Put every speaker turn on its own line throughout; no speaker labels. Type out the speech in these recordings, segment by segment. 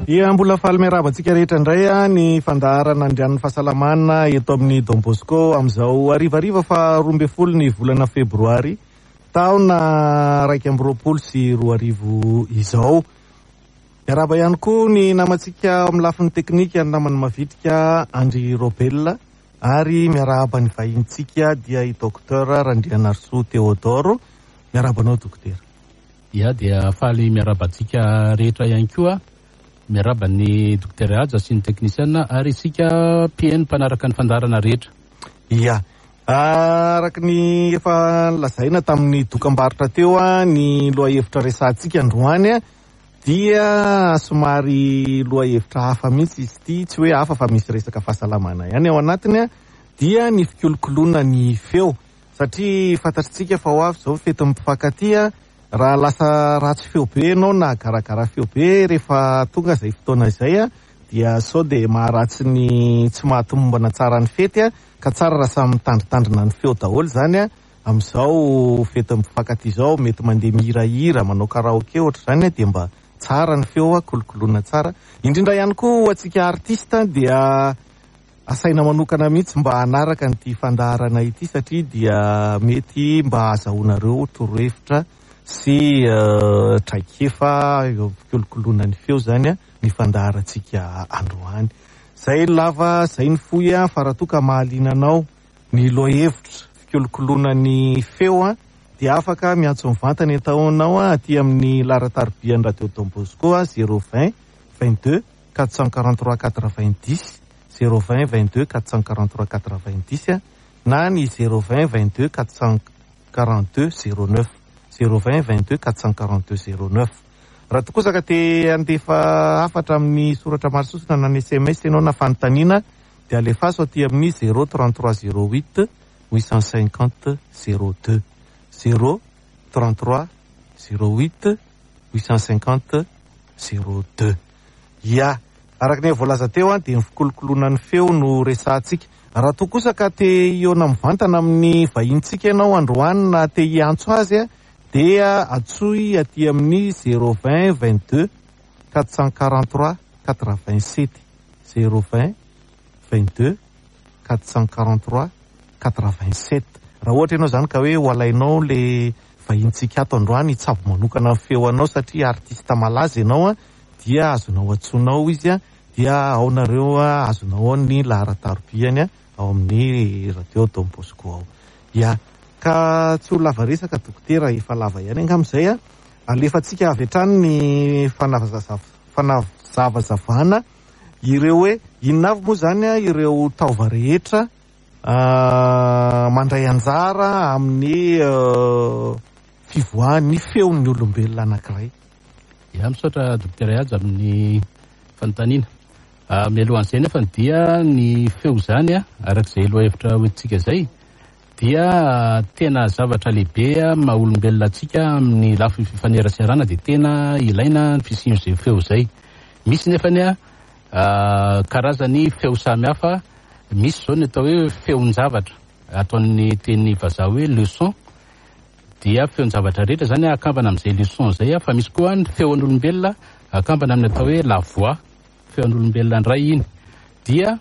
Dia mbola faly miarahaba antsika rehetra indray ny fandaharana Andrianin'ny Fahasalamana eto amin'ny Don Bosco amin'izao harivariva faha 12 ny volana febroary taona 2021 izao. Miarahaba ihany koa ny namantsika ao amin'ny lafiny teknika, ny namany mavitrika Andry Robel, ary miarahaba ny vahintsika dia i Docteur Randrianarisoa Théodore. Miarahaba anao Dokotera.
Ya dia faly miarahaba antsika rehetra ihany koa. Miarahaba ny Dokotera Haja sy ny teknisiana ary isika mpihaino mpanaraka ny fandaharana rehetra.
Ya. Araka ny efa nolazaina tamin'ny dokambarotra teo, ny lohahevitra resahantsika androany dia somary lohahevitra hafa mihitsy izy ity, tsy hoe hafa fa misy resaka fahasalamana ihany ao anatiny, dia ny fikolokoloana ny feo. Satria fantatritsika fa ho avy izao ny fetin'ny mpifankatia, raha lasa ratsy feo be ianao na garagara feo be rehefa tonga izay fotoana izay dia sao dia maharatsy ny tsy mahatomombana tsara ny fety, ka tsara raha samy mitandrintandrina ny feo daholo izany amin'izao fetin'ny mpifankatia izao, mety mandeha mihirahira, manao karaoke ohatr'izany dia mba tsara ny feo, kolokoloina tsara. Indrindra ihany koa ho antsika artiste dia asaina manokana mihitsy mba hanaraka an'ity fandaharana ity satria dia mety mba hahazahoanareo torohevitra sy traikefa eo fikolokoloana ny feo izany ny fandaharantsika androany. Izay ny lava, izay ny fohy fa raha toa ka mahaliana anao ny lohahevitra fikolokoloana ny feo dia afaka miantso mivantana entaonao aty amin'ny laharan-taribian'ny Radio Don Bosco 020 22 443 90, 020 22 443 90 na ny 020 22 442 09, 020 22 442 09. Raha toa kosa ka te handefa hafatra amin'ny soratra maro sosona na ny SMS ianao na fanontaniana dia alefaso aty amin'ny 033 08 850 02, 033 08 850 02. Ia. Araka ny efa voalaza teo dia ny fikolokoloana ny feo no resahantsika. Raha toa kosa ka te hihaona mivantana amin'ny vahinintsika ianao androany na te hiantso azy dia antsoy aty amin'ny 020 22 443 87, 020 22 443 87. Raha ohatra ianao izany ka hoe ho alainao le vahinintsika ato androany hitsabo manokana ny feo anao satria artiste malaza ianao dia azonao antsoina ao izy dia ao nareo azonao ao ny laharan-tarobiany ao amin'ny radio Don Bosco ao. Ya, ka tsy ho lava resaka dokotera, efa lava ihany angamba izay. Alefantsika avy hatrany ny fanazavazavana ireo hoe inona avy moa izany ireo taova rehetra mandray anjara amin'ny fivoahan'ny feon'ny olombelona anankiray.
Ya, misaotra Dokotera Haja amin'ny fanontaniana. Mialohan'izay nefa dia ny feo izany, araka izay lohahevitra hoentintsika izay, dia tena zavatra lehibe maha olombelona antsika amin'ny lafiny fifaneraserana, dia tena ilaina ny fisian'izay feo izay. Misy nefa ny karazany feo samihafa, misy izao ny atao hoe feon-javatra, ataon'ny teny vazaha hoe le son, dia feon-javatra rehetra izany akambana amin'izay le son izay, fa misy koa ny feon'olombelona akambana amin'ny atao hoe la voix, feon'olombelona indray iny. Dia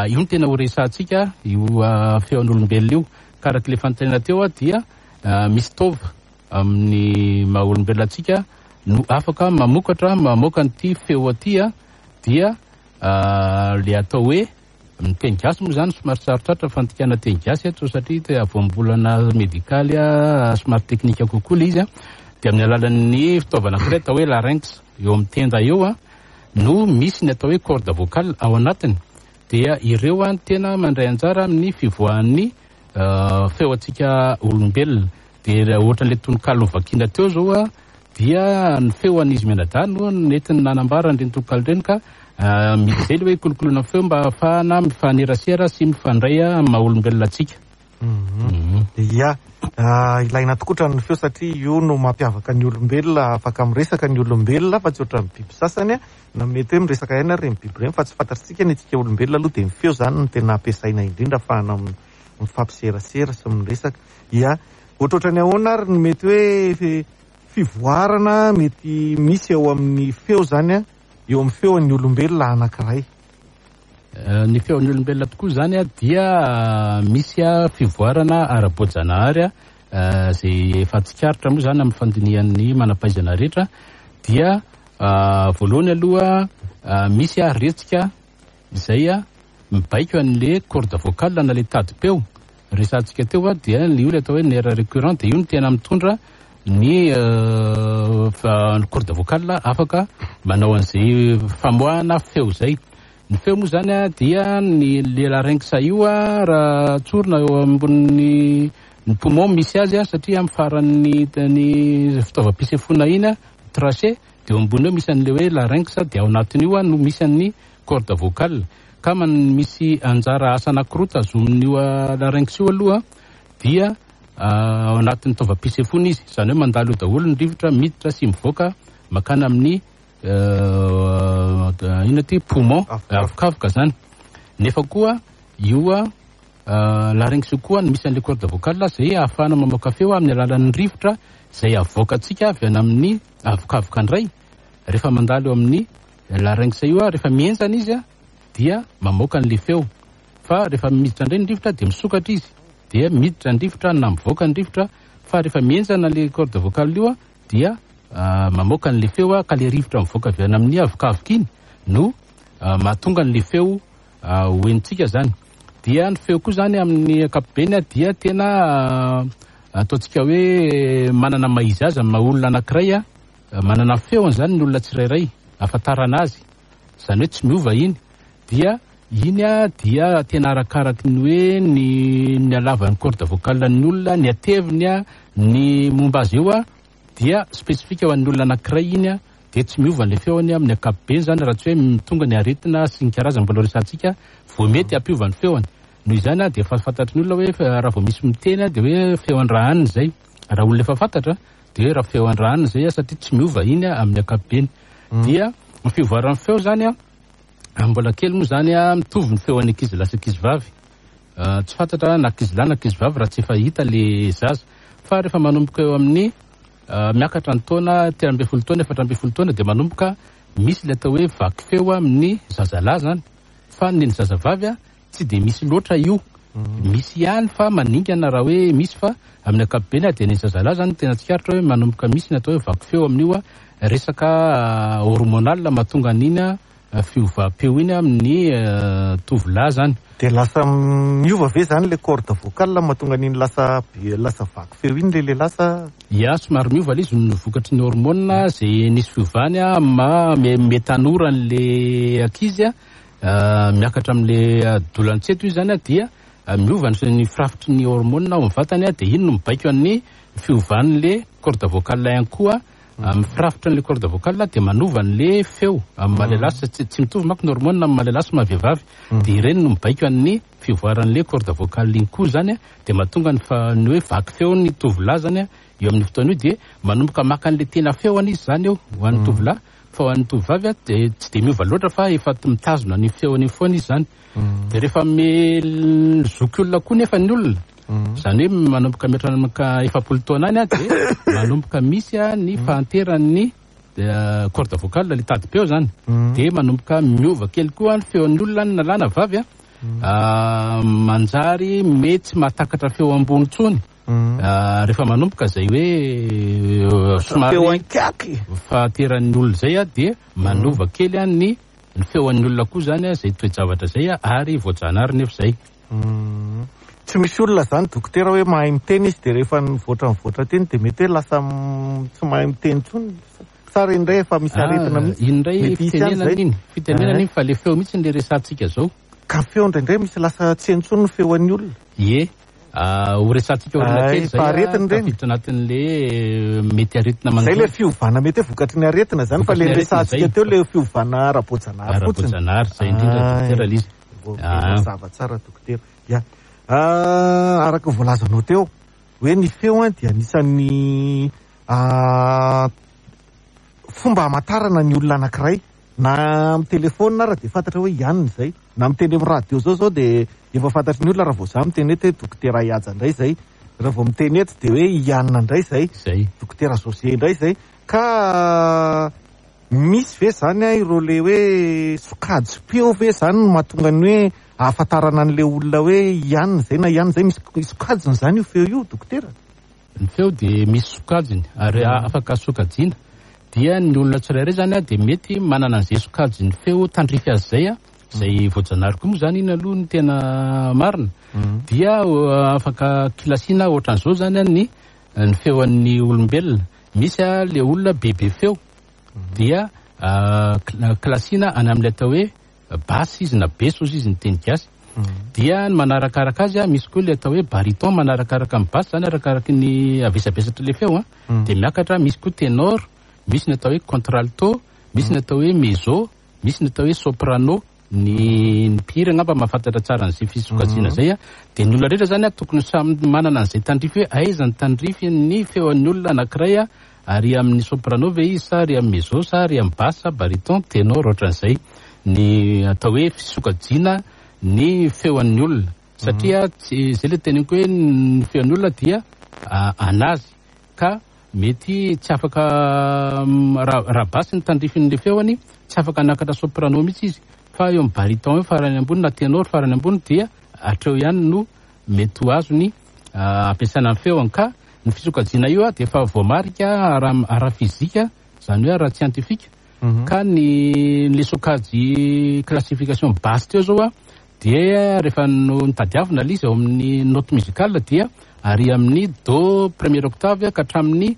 io no tena ho resahantsika, io feon'olombelona io. Ka araka ilay fanontaniana teo dia misy taova amin'ny maha olombelona antsika no afaka mamokatra, mamoaka an'ity feo aty, dia le atao hoe ny teny gasy moa izany somary sarotrarotra fandikana teny gasy eto satria te voambolana medikaly somary teknika kokoa ilay izy, dia amin'ny alalan'ny fitaovana anankiray atao hoe larynx eo amin'ny tenda eo no misy ny atao hoe corde vocale ao anatiny, dia ireo no tena mandray anjara amin'ny fivoahan'ny feo antsika olombelona. Dia ohatran'ilay tononkalo novakiana teo izao dia ny feo an'izy mianadahy no nentiny nanambara an'ireny tononkalo ireny, ka misy izay ilay hoe kolokoloina ny feo mba ahafahana mifanerasera sy mifandray amin'ny maha olombelona antsika.
Ia, ilaina tokoa ny feo satria io no mampiavaka ny olombelona, afaka miresaka ny olombelona fa tsy ohatran'ny biby sasany, na mety hoe miresaka ihany ary ireny biby ireny fa tsy fantatritsika ny antsika olombelona aloha dia ny feo izany no tena ampiasaina indrindra ahafahana mifampiserasera sy miresaka. Ia, ohatrohatran'ny ahoana ary no mety hoe fivoarana mety misy eo amin'ny feo izany? eo amin'ny feon'ny olombelona anankiray?
Ny feon'ny olombelona tokoa izany dia misy fivoarana ara-boajanahary izay efa tsikaritra moa izany amin'ny fandinihan'ny manam-pahaizana rehetra dia voalohany aloha misy retsika izay mibaiko an'le corde vocale na le tadim-peo resahantsika teo dia io le atao hoe nerf récurrent dia io no tena mitondra ny corde vocale afaka manao an'izay famoahana feo izay. Ny feo moa izany dia ny le larynx io raha tsorina eo ambonin'ny ny poumon misy azy satria amin'ny faran'ny ny fitaovam-pisefoana iny trachée dia eo ambony eo misy an'le hoe larynx dia ao anatin'io no misy an'ny corde vocale. Ka misy anjara asa anankiroa tazomin'io larynx io aloha dia ao anatin'ny taovam-pisefoana izy, izany hoe mandalo eo daholo ny rivotra miditra sy mivoaka makany amin'ny inona ty poumon, avokavoka zany. Nefa koa io larynx io koa no misy an'ilay corde vocale izay ahafahana mamoaka feo amin'ny alalan'ny rivotra izay avoakantsika avy any amin'ny avokavoka indray. Rehefa mandalo eo amin'ny larynx io, rehefa mihenjana izy dia mamoaka an'ilay feo. Fa rehefa miditra indray ny rivotra dia misokatra izy, dia miditra ny rivotra na mivoaka ny rivotra. Fa rehefa mihenjana ilay corde vocale io dia mamoaka an'ilay feo, ka ilay rivotra mivoaka avy any amin'ny avokavoka iny no mahatonga an'ilay feo ho henontsika zany. Dia ny feo koa zany amin'ny ankapobeny dia tena ataontsika hoe manana maha izy azy amin'ny maha olona anankiray, manana ny feony zany ny olona tsirairay ahafantarana azy, izany hoe tsy miova iny. Dia iny dia tena arakaraky ny hoe ny ny halavan'ny corde vocale ny olona, ny hateviny, ny momba azy eo dia spécifique ho an'ny olona anankiray iny, dia tsy miova ilay feony amin'ny ankapobeny zany raha tsy hoe tonga ny aretina sy ny karazany mbola resahantsika vao mety hampiova ny feony. Noho izany dia efa fantatry ny olona hoe raha vao misy miteny dia hoe feon-dRahanina izay. Raha olona efa fantatra dia hoe raha feon-dRahanina izay satria tsy miova iny amin'ny ankapobeny. Dia ny fivoaran'ny feo zany mbola kely moa zany mitovy ny feon'ny ankizy lahy sy ankizy vavy. Tsy fantatra na ankizy lahy na ankizy vavy raha tsy efa hita le zaza. Fa rehefa manomboka eo amin'ny miakatra ny taona 13 taona, 14 taona dia manomboka misy le atao hoe vaky feo amin'ny zazalahy zany. Fa ny zazavavy tsy dia misy loatra io. Misy ihany fa maningana raha hoe misy, fa amin'ny ankapobeny dia ny zazalahy zany tena tsikaritra hoe manomboka misy ny atao hoe vaky feo amin'io resaka hormonal mahatonga an'iny fiovam-peo iny amin'ny tovolahy zany.
Dia lasa miova ve zany le corde vocale mahatonga an'iny lasa be, lasa vaky feo iny le lehilahy sa?
Ya, somary miova ilay izy no vokatry ny hormone izay nisy fiovany amin'ny maha me tanora an'le ankizy, miakatra amin'le adolantsento izy zany dia miova ny firafitry ny hormone ao amin'ny vatany, dia iny no mibaiko an'ny fiovan'le corde vocale ihany koa. Amin'ny firafitry ny corde vocale dia manova an'le feo amin'ny maha lehilahy sy tsy mitovy manko ny hormone amin'ny maha lehilahy sy maha vehivavy. Dia ireny no mibaiko an'ny fivoaran'le corde vocale iny koa zany, dia mahatonga ny fa ny hoe vaky feo ny tovolahy zany eo amin'ny fotoana io, dia manomboka maka an'le tena feony izy zany eo ho an'ny tovolahy, fa ho an'ny tovovavy dia tsy dia miova loatra fa efa mitazona ny feony iny foana izy zany. Dia rehefa zoky olona koa nefa ny olona, izany hoe manomboka mihoatra 40 taona any dia manomboka misy ny fahanteran'ny corde vocale, le tadim-peo zany. Dia manomboka miova kely koa ny feon'ny olona na lahy na vavy, manjary mety tsy mahatakatra feo ambony intsony. Rehefa manomboka izay hoe somary
feo ankiaky
fahanteran'ny olona izay dia manova kely ny feon'ny olona koa zany izay toe-javatra izay, ary voajanahary nefa izay.
Tsy misy olona zany dokotera hoe mahay miteny izy dia rehefa mivoatra mivoatra teny dia mety hoe lasa tsy mahay miteny intsony. Sa ireny indray efa misy aretina mihitsy?
Iny indray
Mety hisy ihany
fitenenana
izay.
iny, fitenenana iny fa le feo mihitsy le resahantsika zao.
Ka feo indraindray misy lasa tsy heno intsony ny feon'ny olona.
Ie. Ho resahantsika olona
Ay,
kely izay,
fa aretina ireny.
tafiditra anatin'le mety aretina
Izay le
manjo.
fiovana mety hoe vokatry ny aretina zany, fa le
Vokatry ny aretina
resahantsika
izay.
teo le fiovana ara-boajanahary fotsiny.
Ara-boajanahary izay indrindra,
Ay.
dokotera Lise.
Ok, mazava tsara dokotera. Ya. Araka ny voalazanao teo hoe ny feo dia anisan'ny fomba hamantarana ny olona anankiray, na amin'ny telefona ara dia fantatra hoe ianona izay, na miteny amin'ny radio zao zao dia efa fantatry ny olona raha vao za miteny eto hoe dokotera Ihaja indray izay, raha vao miteny eto dia hoe ianona indray izay,
Izay.
dokotera José indray izay. Ka Misy ve zany a ireo le hoe sokajim-peo ve zany no mahatonga ny hoe ahafantarana an'le olona hoe ianina zay na ianina zay? Misy sokajiny zany io feo io, dokotera?
Ny feo dia misy sokajiny ary afaka sokajiana. Dia ny olona tsirairay zany a dia mety manana an'izay sokajin'ny feo tandrify azy zay a, izay voajanahary koa moa zany iny aloha ny tena marina. Dia afaka kilasiana ohatran'izao zany a ny feon'ny olombelona. Misy a le olona bebe feo dia kilasiana any amin'ilay atao hoe basse izy na beso ozy izy ny teny gasy. Dia ny manarakaraka azy a misy koa le atao hoe baryton manarakaraka amin'ny basse zany, arakaraky ny avesabesatra le feo a, dia miakatra. Misy koa ténor, misy ny atao hoe contralto, misy ny atao hoe mezzo, misy ny atao hoe soprano. Ny mpihira angamba mahafantatra tsara an'izay fisokajiana zay a. Dia ny olona rehetra zany a tokony samy manana an'izay tandrify hoe aiza ny tandrify ny feon'ny olona anankiray a, ary amin'ny soprano ve izy sa ary amin'ny mezzo sa ary amin'ny basse, baryton, ténor, ohatran'izay ny atao hoe fisokajiana ny feon'ny olona. Satria tsy zay le teneniko hoe ny feon'ny olona dia anazy ka mety tsy afaka raha basse ny tandrifin'le feony, tsy afaka hanakatra soprano mihitsy izy, fa eo amin'ny baryton eo farany ambony na ténor farany ambony dia hatreo ihany no mety ho azony ampiasaina ny feony. Ka ny fisokajiana io a dia efa voamarika ara-fizika, zany hoe ara-scientifique. Ka ny le sokajy classification basse teo zao a dia rehefa no nitadiavina le izy ao amin'ny note musicale dia ary amin'ny do première octave ka hatramin'ny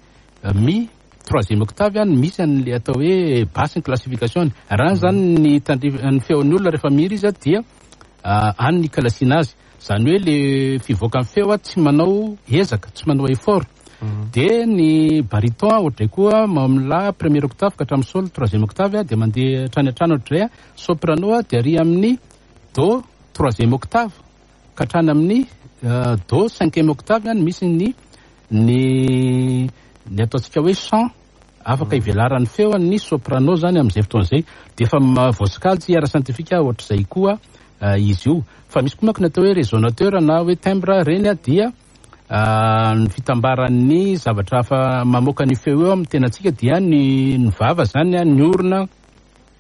mi troisième octave no misy an'le atao hoe basse ny classification. Raha zany ny tandrify ny feon'ny olona rehefa mihira izy a dia any ny kilasiana azy, zany hoe le fivoakan'ny feo a tsy manao ezaka, tsy manao effort. Dia ny baryton ohatray koa amin'ny la première octave ka hatramin'ny sol troisième octave dia mandeha hatrany hatrany ohatray. Soprano a dia ary amin'ny do troisième octave ka hatrany amin'ny do cinquième octave no misy ny ataontsika hoe chant afaka ivelaran'ny feo ny soprano zany amin'izay fotoana izay. Dia efa voasokajy ara-scientifique ohatr'izay koa izy io. Fa misy koa manko ny atao hoe résonateur na hoe timbre reny a dia ny fitambaran'ny zavatra hafa mamoaka ny feo eo amin'ny tenantsika, dia ny vava zany a, ny orona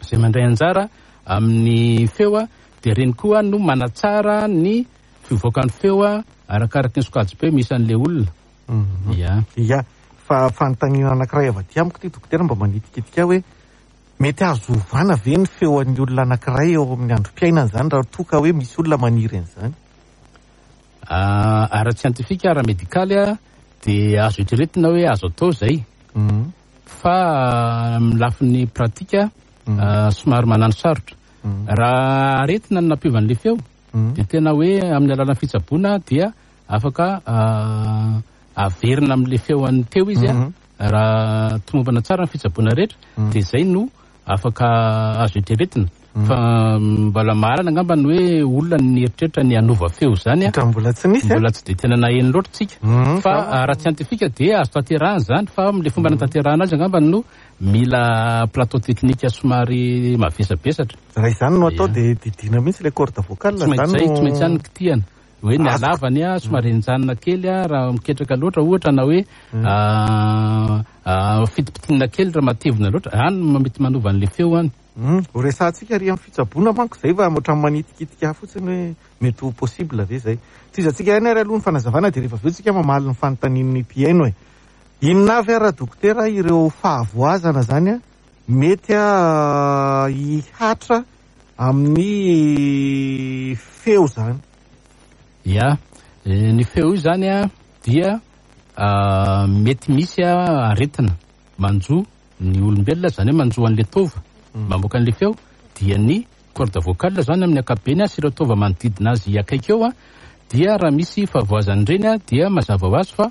izay mandray anjara amin'ny feo a, dia reny koa no manatsara ny fivoakan'ny feo a arakaraky ny sokajim-peo misy an'le olona. Ya.
Ya, fa fanontaniana anankiray avy aty amiko ty, dokotera, mba manitikitika hoe mety azo ovana ve ny feon'ny olona anankiray eo amin'ny androm-piainana zany raha toa ka hoe misy olona maniry an'izany?
Ara-tsiantifika, ara-medikaly a dia azo eritreretina hoe azo atao zay. Fa amin'ny lafiny pratika somary manano sarotra. Raha aretina no nampiova an'le feo dia tena hoe amin'ny alalan'ny fitsaboana dia afaka averina amin'le feo an'ny teo izy a, raha tomombana tsara ny fitsaboana rehetra dia zay no afaka azo eritreretina. Fa mbola mahalana angamba ny hoe olona ny eritreritra ny hanova feo zany a.
Ka mbola tsy nisy, eh?
Mbola tsy de tena naheno loatra tsika. Fa ara-tsiantifika dia azo tanterahana zany, fa amin'le fomba natanterahana azy angamba no mila plateau technique somary mavesabesatra.
Raha izany no atao dia didiana mihitsy le corde vocale
Tsy maintsy
zany
zay, tsy maintsy ihany ny kitihana. Hoe ny halavany a somary henjanina kely a raha miketraka loatra ohatra, na hoe fitipitinina kely raha matevina loatra, any no mety manova an'le feo any.
Ho resahantsika ary amin'ny fitsaboana manko zay, fa ohatran'ny manitikitika ahy fotsiny hoe mety ho possible ve zay. Tohizantsika ihany ary aloha ny fanazavana dia rehefa avy eo tsika mamaly ny fanontanian'ny mpihaino e. Inona avy ary dokotera ireo fahavoazana zany a mety a hihatra amin'ny feo zany?
Ya, ny feo io zany a dia mety misy a aretina manjo ny olombelona, zany hoe manjo an'le taova mamoaka an'le feo, dia ny corde vocale zany amin'ny ankapobeny a sy ireo taova manodidina azy akaiky eo a, dia raha misy fahavoazan'ireny a dia mazava ho azy fa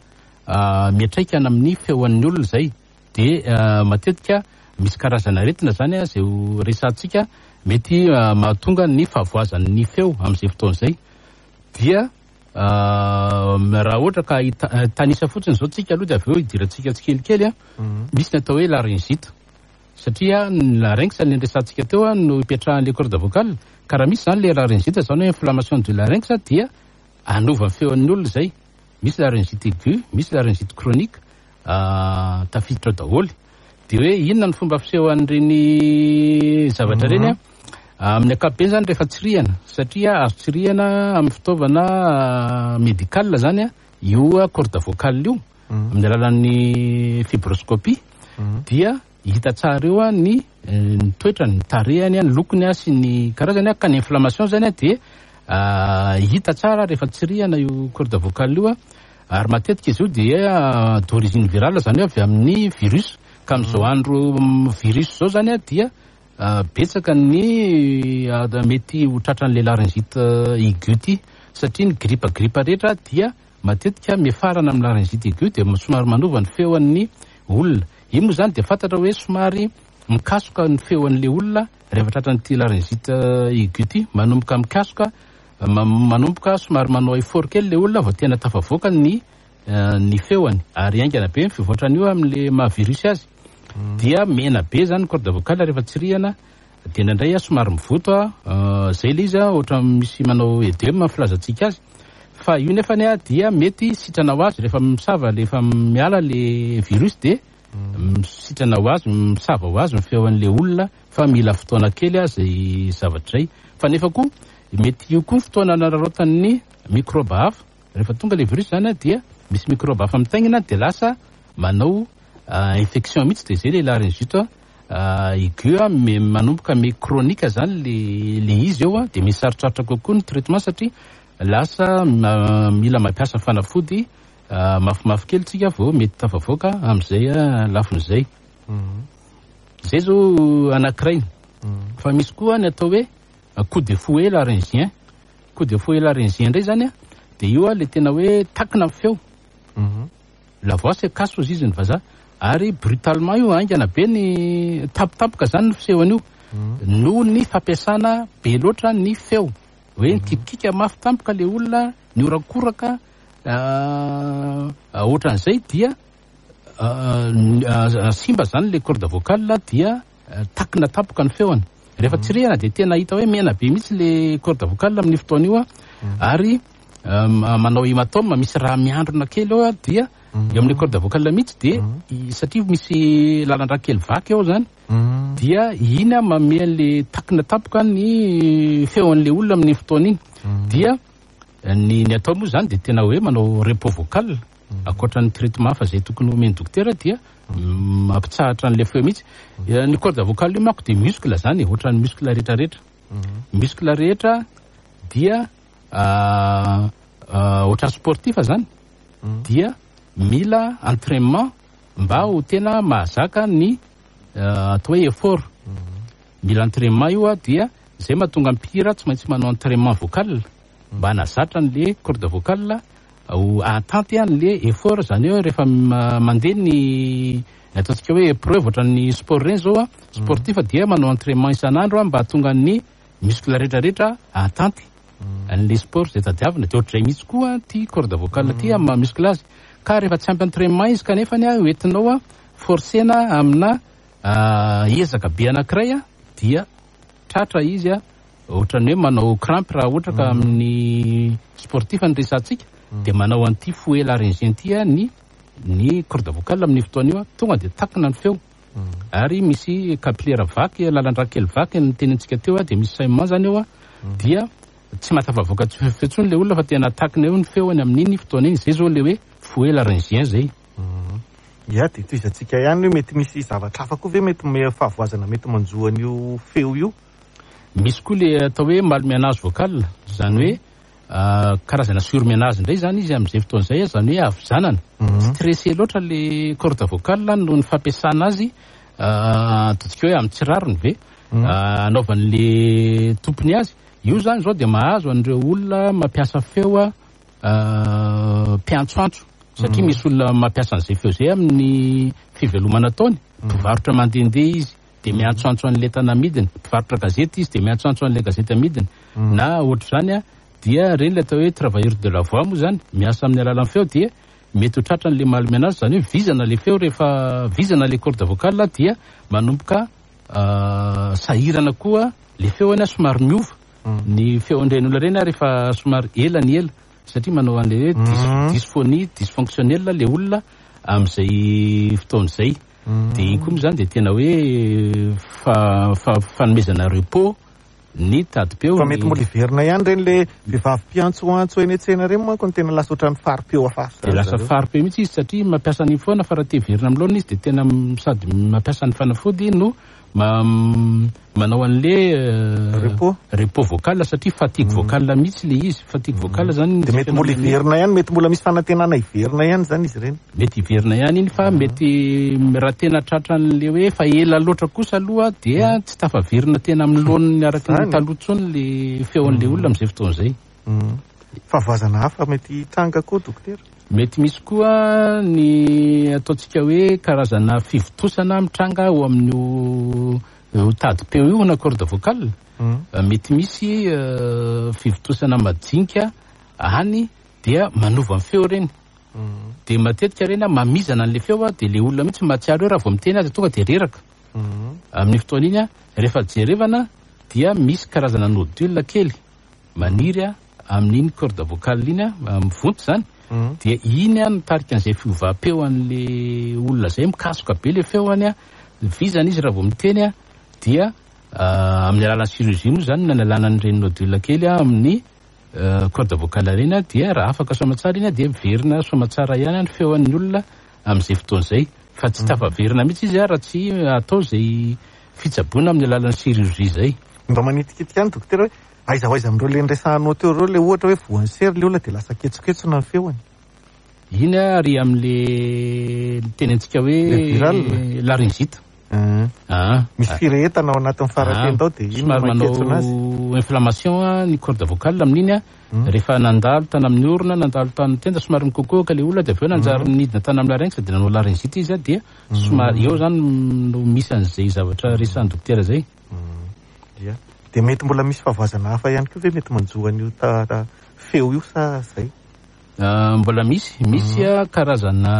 miantraika any amin'ny feon'ny olona zay. Dia matetika misy karazana aretina zany a zay ho resahantsika mety mahatonga ny fahavoazan'ny feo amin'izay fotoana izay. Dia raha ohatra ka hitanisa fotsiny zao tsika aloha dia avy eo hidirantsika tsikelikely a, misy ny atao hoe laryngite, satria ny larynx ny resahantsika teo a no ipetrahan'le corde vocale, ka raha misy zany le laryngite, zany hoe inflammation du larynx, dia hanova ny feon'ny olona zay. Misy laryngite aiguë, misy laryngite chronique, tafiditra ao daholo. De hoe inona ny fomba fisehoan'ireny zavatra ireny a? Amin'ny ankapobeny zany rehefa tsirihana, satria azo tsirihana amin'ny fitaovana médical zany a, io corde vocale io, amin'ny alalan'ny fibroscopie, dia hita tsara eo a ny ny toetrany, ny tarehany, ny lokony a sy ny karazany a, ka ny inflammation zany a dia hita tsara rehefa tsirihana io corde vocale io a. Ary matetika izy io dia d'origine virale, zany hoe avy amin'ny virus, ka amin'izao andro virus zao zany a dia betsaka ny mety ho tratran'le laryngite aiguë ty, satria ny grippe grippe rehetra dia matetika miafarana amin'ny laryngite aiguë, dia somary manova ny feon'ny olona. Io moa zany dia fantatra hoe somary mikasoka ny feon'le olona rehefa tratran'ity laryngite aiguë ty, manomboka mikasoka, manomboka somary manao effort kely le olona vao tena tafavoaka ny feony, ary haingana be ny fivoatran'io amin'le maha virus azy. Dia mena be zany corde vocale rehefa tsirihana, dia indraindray a somary mivoto a, zay le izy a, ohatra misy manao œdème filazantsika azy, fa io nefany a dia mety sitrana ho azy rehefa misava, rehefa miala le virus dia sitrana ho azy, misava ho azy ny feon'le olona, fa mila fotoana kely a zay zavatra zay. Fa nefa koa mety io koa fotoana anararaotan'ny microbe hafa, rehefa tonga le virus zany a dia misy microbe hafa mitaingina, dia lasa manao infection mihitsy, dia zay le laryngite aiguë a, manomboka me chronique zany le izy eo a, dia misy sarotsarotra kokoa ny traitement, satria lasa mila mampiasa fanafody mafimafy kely tsika vao mety tafavoaka amin'izay lafin'izay. Zay zao anankiray. Fa misy koa ny atao hoe coup de fouet laryngien. Coup de fouet laryngien indray zany a, dia io a le tena hoe takina ny feo. La voix se casse hozy izy ny vazaha, ary brutalement io, haingana be ny tampotampoka zany ny fisehony io, noho ny fampiasana be loatra ny feo, hoe nikitikika mafy tampoka le olona, niorakoraka ohatran'izay, dia simba zany le corde vocale, dia takina tampoka ny feony. Rehefa tsirihana dia tena hita hoe mena be mihitsy le corde vocale amin'ny fotoana io a, ary manao hématome, misy raha miandrona kely eo a, dia eo amin'ny corde vocale mihitsy, dia satria misy lalan-drà kely vaky eo zany, dia iny a manome an'le takina tampoka ny feon'le olona amin'ny fotoana iny. Dia ny atao moa zany dia tena hoe manao repos vocal, ankoatra ny traitement fa zay tokony homeny dokotera, dia mampitsahatra an'le feo mihitsy. Ny corde vocale io manko dia muscle zany, ohatran'ny muscle rehetrarehetra. Muscle rehetra dia ohatran'ny sportif zany, dia mila entraînement mba ho tena mahazaka ny atao hoe effort. Mila entraînement io a, dia zay mahatonga mpihira tsy maintsy manao entraînement vocal mba hanazatra an'le corde vocale ho ahatanty an'le effort, zany hoe rehefa mandeha ny ataontsika hoe épreuve, ohatran'ny sport reny zao a, sportif dia manao entraînement isan'andro a mba hahatonga ny muscle rehetrarehetra ahatanty an'le sport zay tadiavina. Dia ohatr'izay mihitsy koa ty corde vocale ty amin'ny maha muscle azy, ka rehefa tsy ampy entraînement izy kanefany a hoentinao a forcena amina ezaka be anankiray a, dia tratra izy a, ohatran'ny hoe manao crampe raha ohatra ka amin'ny sportif ny resantsika, dia manao an'ity fouet laryngien ty a ny corde vocale amin'ny fotoana io a, tonga dia takina ny feo, ary misy capillaire vaky, lalan-drà kely vaky ny tenentsika teo a, dia misy saignement zany eo a, dia tsy mahatafavoaka feo intsony le olona fa tena takina eo ny feony amin'iny fotoana iny. Zay zao le hoe fouet laryngien zay.
Ya, dia tohizantsika ihany hoe mety misy zavatra hafa koa ve mety fahavoazana mety manjo an'io feo io?
Misy koa le atao hoe malmenage vocal, zany hoe karazana surmenage indray zany izy amin'izay fotoana izay, zany hoe havizanana, stressé loatra le corde vocale noho ny fampiasana azy, ataontsika hoe amin'ny tsy rariny ve anaovan'le tompony azy io zany zao, dia mahazo an'ireo olona mampiasa feo a mpiantsoantso, satria misy olona mampiasa an'izay feo zay amin'ny fivelomana ataony, mpivarotra mandehandeha izy dia miantsoantso an'le entana amidiny, mpivarotra gazety izy dia miantsoantso an'le gazety amidiny, na ohatr'izany a, dia reny le atao hoe travailleur de la voix moa zany, miasa amin'ny alalan'ny feo, dia mety ho tratran'le malmenage, zany hoe vizana le feo. Rehefa vizana le corde vocale dia manomboka sahirana koa le feony a, somary miova ny feon'ireny olona ireny a rehefa somary ela ny ela, satria manao an'le hoe dysphonie dysfonctionnel le olona amin'izay fotoana izay. De iny koa moa zany de tena hoe fanomezana repos ny tadim-peo.
Fa mety mbola hiverina ihany ireny le vehivavy mpiantsoantso eny an-tsena ireny manko no tena lasa ohatran'ny fari-peo hafahafa
De
zany
lasa
zareo.
fari-peo mihitsy izy satria mampiasa an'iny foana, fa raha te hiverina amin'ny laoniny izy de tena sady mampiasa ny fanafody no manao an'le
Repos.
repos vocal, satria fatigue vocale mihitsy le izy. Fatigue vocale zany
De mety mbola hiverina ihany, mety mbola misy fanantenana hiverina ihany zany izy ireny.
Mety hiverina ihany iny, fa mety raha tena tratran'le hoe fa ela loatra kosa aloha dia tsy tafaverina tena amin'ny laoniny araka ny
Zany.
taloha intsony le feon'le olona amin'izay fotoana izay.
Fahavoazana hafa mety hitranga koa, dokotera?
Mety misy koa ny ataontsika hoe karazana fivontosana mitranga ao amin'io tadim-peo io na corde vocale. Mety misy fivontosana majinika any dia manova ny feo ireny. De matetika ireny mamizana an'le feo, de le olona mihitsy mahatsiaro hoe raha vao miteny azy tonga de reraka. Amin'ny fotoana iny, rehefa jerevana dia misy karazana nodule kely maniry amin'iny corde vocale iny, mivonto zany. Dia iny mitarika an'izay fiovam-peo an'le olona zay, mikasoka be le feoany, vizana izy raha vao miteny, dia amin'ny alalan'ny chirurgie moa zany no nanalana an'ireny nodule kely amin'ny corde vocale ireny, dia raha afaka soamatsara iny dia miverina soamatsara ihany ny feoan'ny olona amin'izay fotoana izay, fa tsy tafaverina mihitsy izy raha tsy atao izay fitsaboana amin'ny alalan'ny chirurgie izay.
Mba manitikitika ihany, dokotera, hoe aiza ho aiza amin'ireo le niresahanao teo ireo le ohatra hoe voan'ny sery le olona dia lasa ketsoketsona ny feoany?
Iny ary amin'le tenentsika hoe
Le viral?
laryngite.
Misy firehetana ao anatin'ny faratenda ao dia iny
Somary manao
maketsona azy.
inflammation ny corde vocale amin'iny, rehefa nandalo tany amin'ny orona, nandalo tany tenda, somary mikokoka le olona, dia avy eo nanjary nidina tany amin'ny larynx dia nanao laryngite izy, dia somary eo zany no misy an'izay zavatra resahan'ny dokotera zay.
Ia. Dia mety mbola misy fahavoazana hafa ihany koa ve mety manjo an'io feo io sa zay?
Mbola misy karazana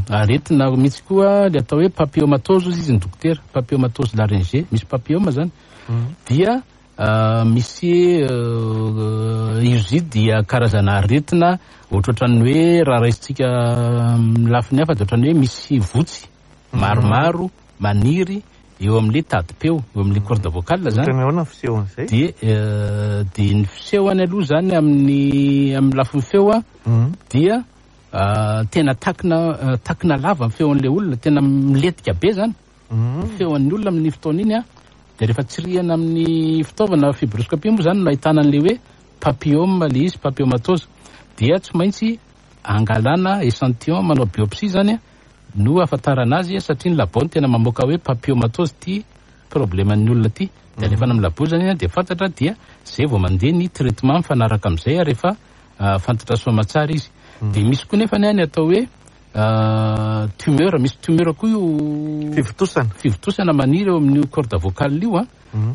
aretina mihitsy koa le atao hoe papillomatose izy ny dokotera, papillomatose laryngée, misy papillome zany. Dia misy izy dia karazana aretina ohatrohatran'ny hoe raha raisitsika amin'ny lafiny hafa dia ohatran'ny hoe misy votsy maromaro maniry eo amin'le tadim-peo, eo amin'le corde vocale zany.
Ohatran'ny ahoana ny fisehon'izay?
Dia ny fisehony aloha zany amin'ny lafiny feo dia tena takina lava ny feon'le olona, tena milentika be zany. Ny feon'ny olona amin'ny fotoana iny, dia rehefa tsirihana amin'ny fitaovana fibroscopie moa zany no ahitana an'le hoe papillome le izy, papillomatose, dia tsy maintsy angalana échantillon, manao biopsie zany no ahafantarana azy, satria ny labo no tena mamoaka hoe papillomatose ty problème an'ny olona ty. Dia alefana amin'ny labo zany, dia fantatra, dia zay vao mandeha ny traitement mifanaraka amin'izay rehefa fantatra soamatsara izy. Dia misy koa nefa ny atao hoe tumeur, misy tumeur koa io
Fivontosana.
Fivontosana maniry eo amin'io corde vocale io,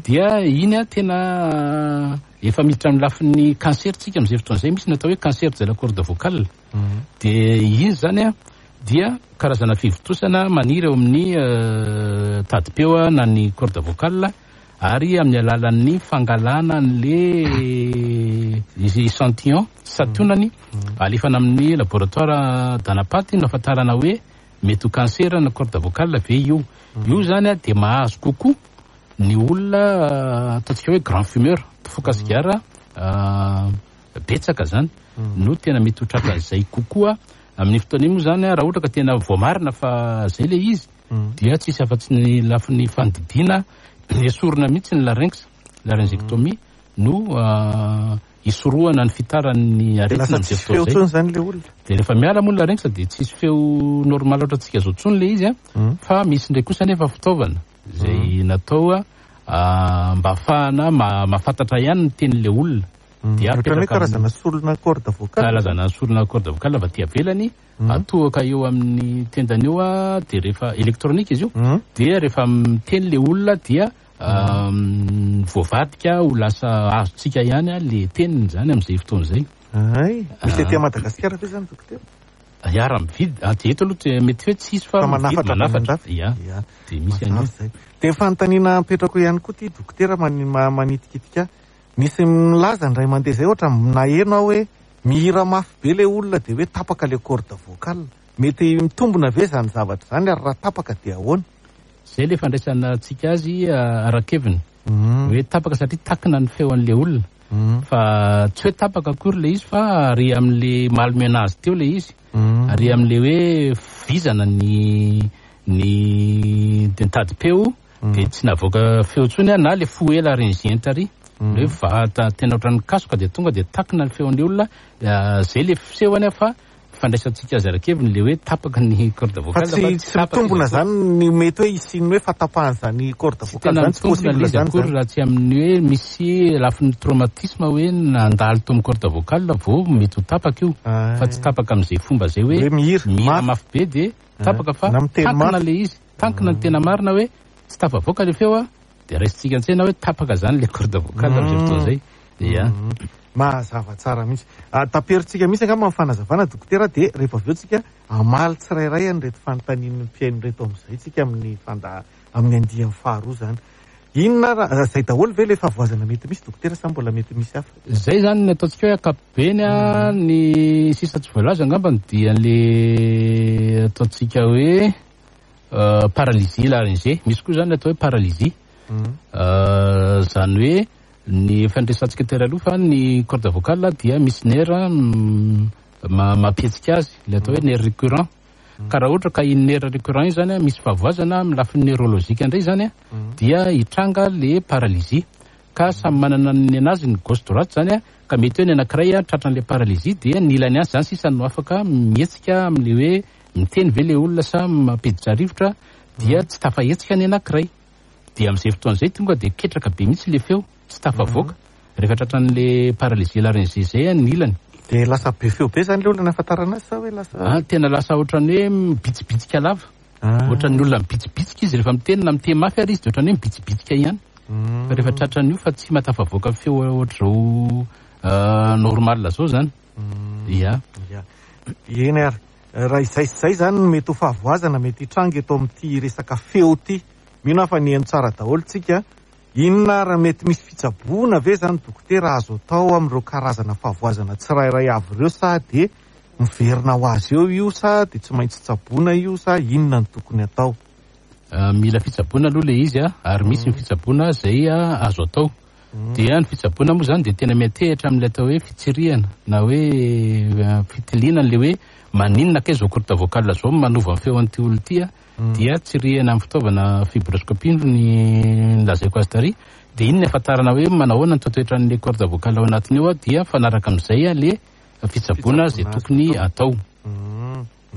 dia iny tena efa miditra amin'ny lafiny cancer tsika amin'izay fotoana izay, misy ny atao hoe cancer de la corde vocale. Dia iny zany dia karazana fivontosana maniry eo amin'ny tadim-peo na ny corde vocale, ary amin'ny alalan'ny fangalana an'le échantillon sationany alefana amin'ny laboratoire d'anapaty no ahafantarana hoe mety ho cancer na corde vocale ve io. Io zany dia mahazo kokoa ny olona ataontsika hoe grand fumeur, mpifoka sigara betsaka zany no tena mety ho tratran'izay kokoa amin'ny fotoana iny moa zany. Raha ohatra ka tena voamarina fa zay le izy dia tsisy afa-tsy ny lafiny fandidiana, esorina mihitsy ny larynx, laryngectomie no isorohana ny fitaran'ny
Dia
aretina
lasa
amin'izay
tsisy feo
fotoana izay.
intsony zany le olona.
Dia rehefa miala moa ny larynx dia tsisy feo normal ohatra antsika zao intsony le izy, fa misy indray kosa nefa fitaovana izay natao mba ahafahana mahafantatra ihany ny tenin'le olona. Dia
Ohatran'ny hoe
apetraka
karazana solona corde vocale.
Karazana solona corde vocale avy aty avelany, atohaka eo amin'ny tendany eo, dia rehefa électronique izy io, dia rehefa miteny le olona dia voavadika ho lasa azontsika ihany le teniny zany amin'izay fotoana izay.
Ay, misy aty Madagasikara ve zany, dokotera?
Ya, raha mividy aty eto aloha mety hoe tsisy fa
Fa manafatra
mividy, manafatra.
avy any
Ya.
an-dafy. Ya.
Dia misy an'io.
Mazava zay. Dia fanontaniana apetrako ihany koa ty, dokotera, manitikitika. Nisy milaza indray mandeha zay, ohatra naheno aho hoe mihira mafy be le olona dia hoe tapaka le corde vocale. Mety mitombina ve izany zavatra izany ary raha tapaka dia ahoana?
Izay ilay fandraisantsika azy ara-keviny. Hoe tapaka satria takina ny feon'ilay olona. Fa tsy hoe tapaka akory ilay izy fa ary amin'ilay malmenage teo ilay izy. Ary amin'ilay hoe vizana ny ny tadim-peo dia tsy navoaka feo intsony na ilay fo ela laryngien tary. Ilay hoe va- tena ohatran'ny kasoka dia tonga dia takina ny feon'ilay olona. Izay ilay fisehony fa fandraisantsika azy ara-keviny ilay hoe tapaka ny corde vocale
fa tsy mitombina zany ny mety hoe hisian'ny hoe fahatapahan'izany corde vocale zany, tsy possible zany
akory raha tsy amin'ny hoe misy lafiny traumatisme hoe nandalo tao amin'ny corde vocale vao mety ho tapaka io, fa tsy tapaka amin'izay fomba izay hoe
mihira
mafy be dia tapaka fa tankina ilay izy, tankina ny tena marina hoe tsy tafavoaka ilay feo a, dia raisintsika an-tsaina hoe tapaka zany ilay corde vocale amin'izay fotoana izay. Ia.
Mazava tsara mihitsy. Taperintsika mihitsy angamba ny fanazavana dokotera dia rehefa avy eo tsika hamaly tsirairay an'ireto fanontanian'ny mpihaino ireto amin'izay tsika amin'ny fanda amin'ny andiany faharoa izany. Inona ary izay daholo ve ilay fahavoazana mety misy dokotera sa mbola mety misy hafa?
Izay izany ny ataontsika hoe ankapobeny a, ny sisa tsy voalaza angambany dia le ataontsika hoe paralysie laryngée. Misy koa izany ny atao hoe paralysie. Izany hoe ny efa niresahantsika tery aloha fa ny corde vocale dia misy nerf mampihetsika azy, ilay atao hoe nerf récurrent. Ka raha ohatra ka iny nerf récurrent iny zany misy fahavoazana amin'ny lafiny neurologique indray zany dia hitranga le paralysie. Ka samy manana ny anazy ny gauche droite zany, ka mety hoe ny anankiray tratran'ilay paralysie dia ny ilany azy zany sisa no afaka mihetsika amin'ilay hoe miteny ve ilay olona sa mampiditra rivotra dia tsy tafahetsika ny anankiray. Dia amin'izay fotoana izay tonga dia ketraka be mihitsy ilay feo, tsy tafavoaka. Rehefa tratran'ilay paralysie laryngée izay ny ilany.
Dia lasa be feo be izany ilay olona nahafantarana azy sa hoe lasa.
Ah, tena lasa ohatran'ny hoe mibitsibitsika lava. Ohatran'ny olona mibitsibitsika izy rehefa miteny, na miteny mafy ary izy dia ohatran'ny hoe mibitsibitsika ihany. Fa rehefa tratran'io fa tsy mahatafavoaka feo ohatr'izao normal izao izany. Ia.
Ia. Eny ary. Raha izay sy izay izany no mety ho fahavoazana mety hitranga eto amin'ity resaka feo ity. Mino aho fa nihaino tsara daholo tsika. Inona ary mety misy fitsaboana ve izany dokotera azo atao amin'ireo karazana fahavoazana tsirairay avy ireo sa dia miverina ho azy eo io sa dia tsy maintsy tsaboina io sa inona no tokony atao?
Mila fitsaboana aloha ilay izy ary misy ny fitsaboana izay azo atao. Dia ny fitsaboana moa izany dia tena miantehitra amin'ilay atao hoe fitsirihana na hoe fitiliana an'ilay hoe maninona kay izao corde vocale izao manova ny feon'ity olona ity a. Dia tsirihana amin'ny fitaovana fibroscopie ny nolazaiko azy tary. Dia iny ny ahafantarana hoe manahoana ny toetoetran'ilay corde vocale ao anatiny ao, dia mifanaraka amin'izay ilay fitsaboana izay tokony atao.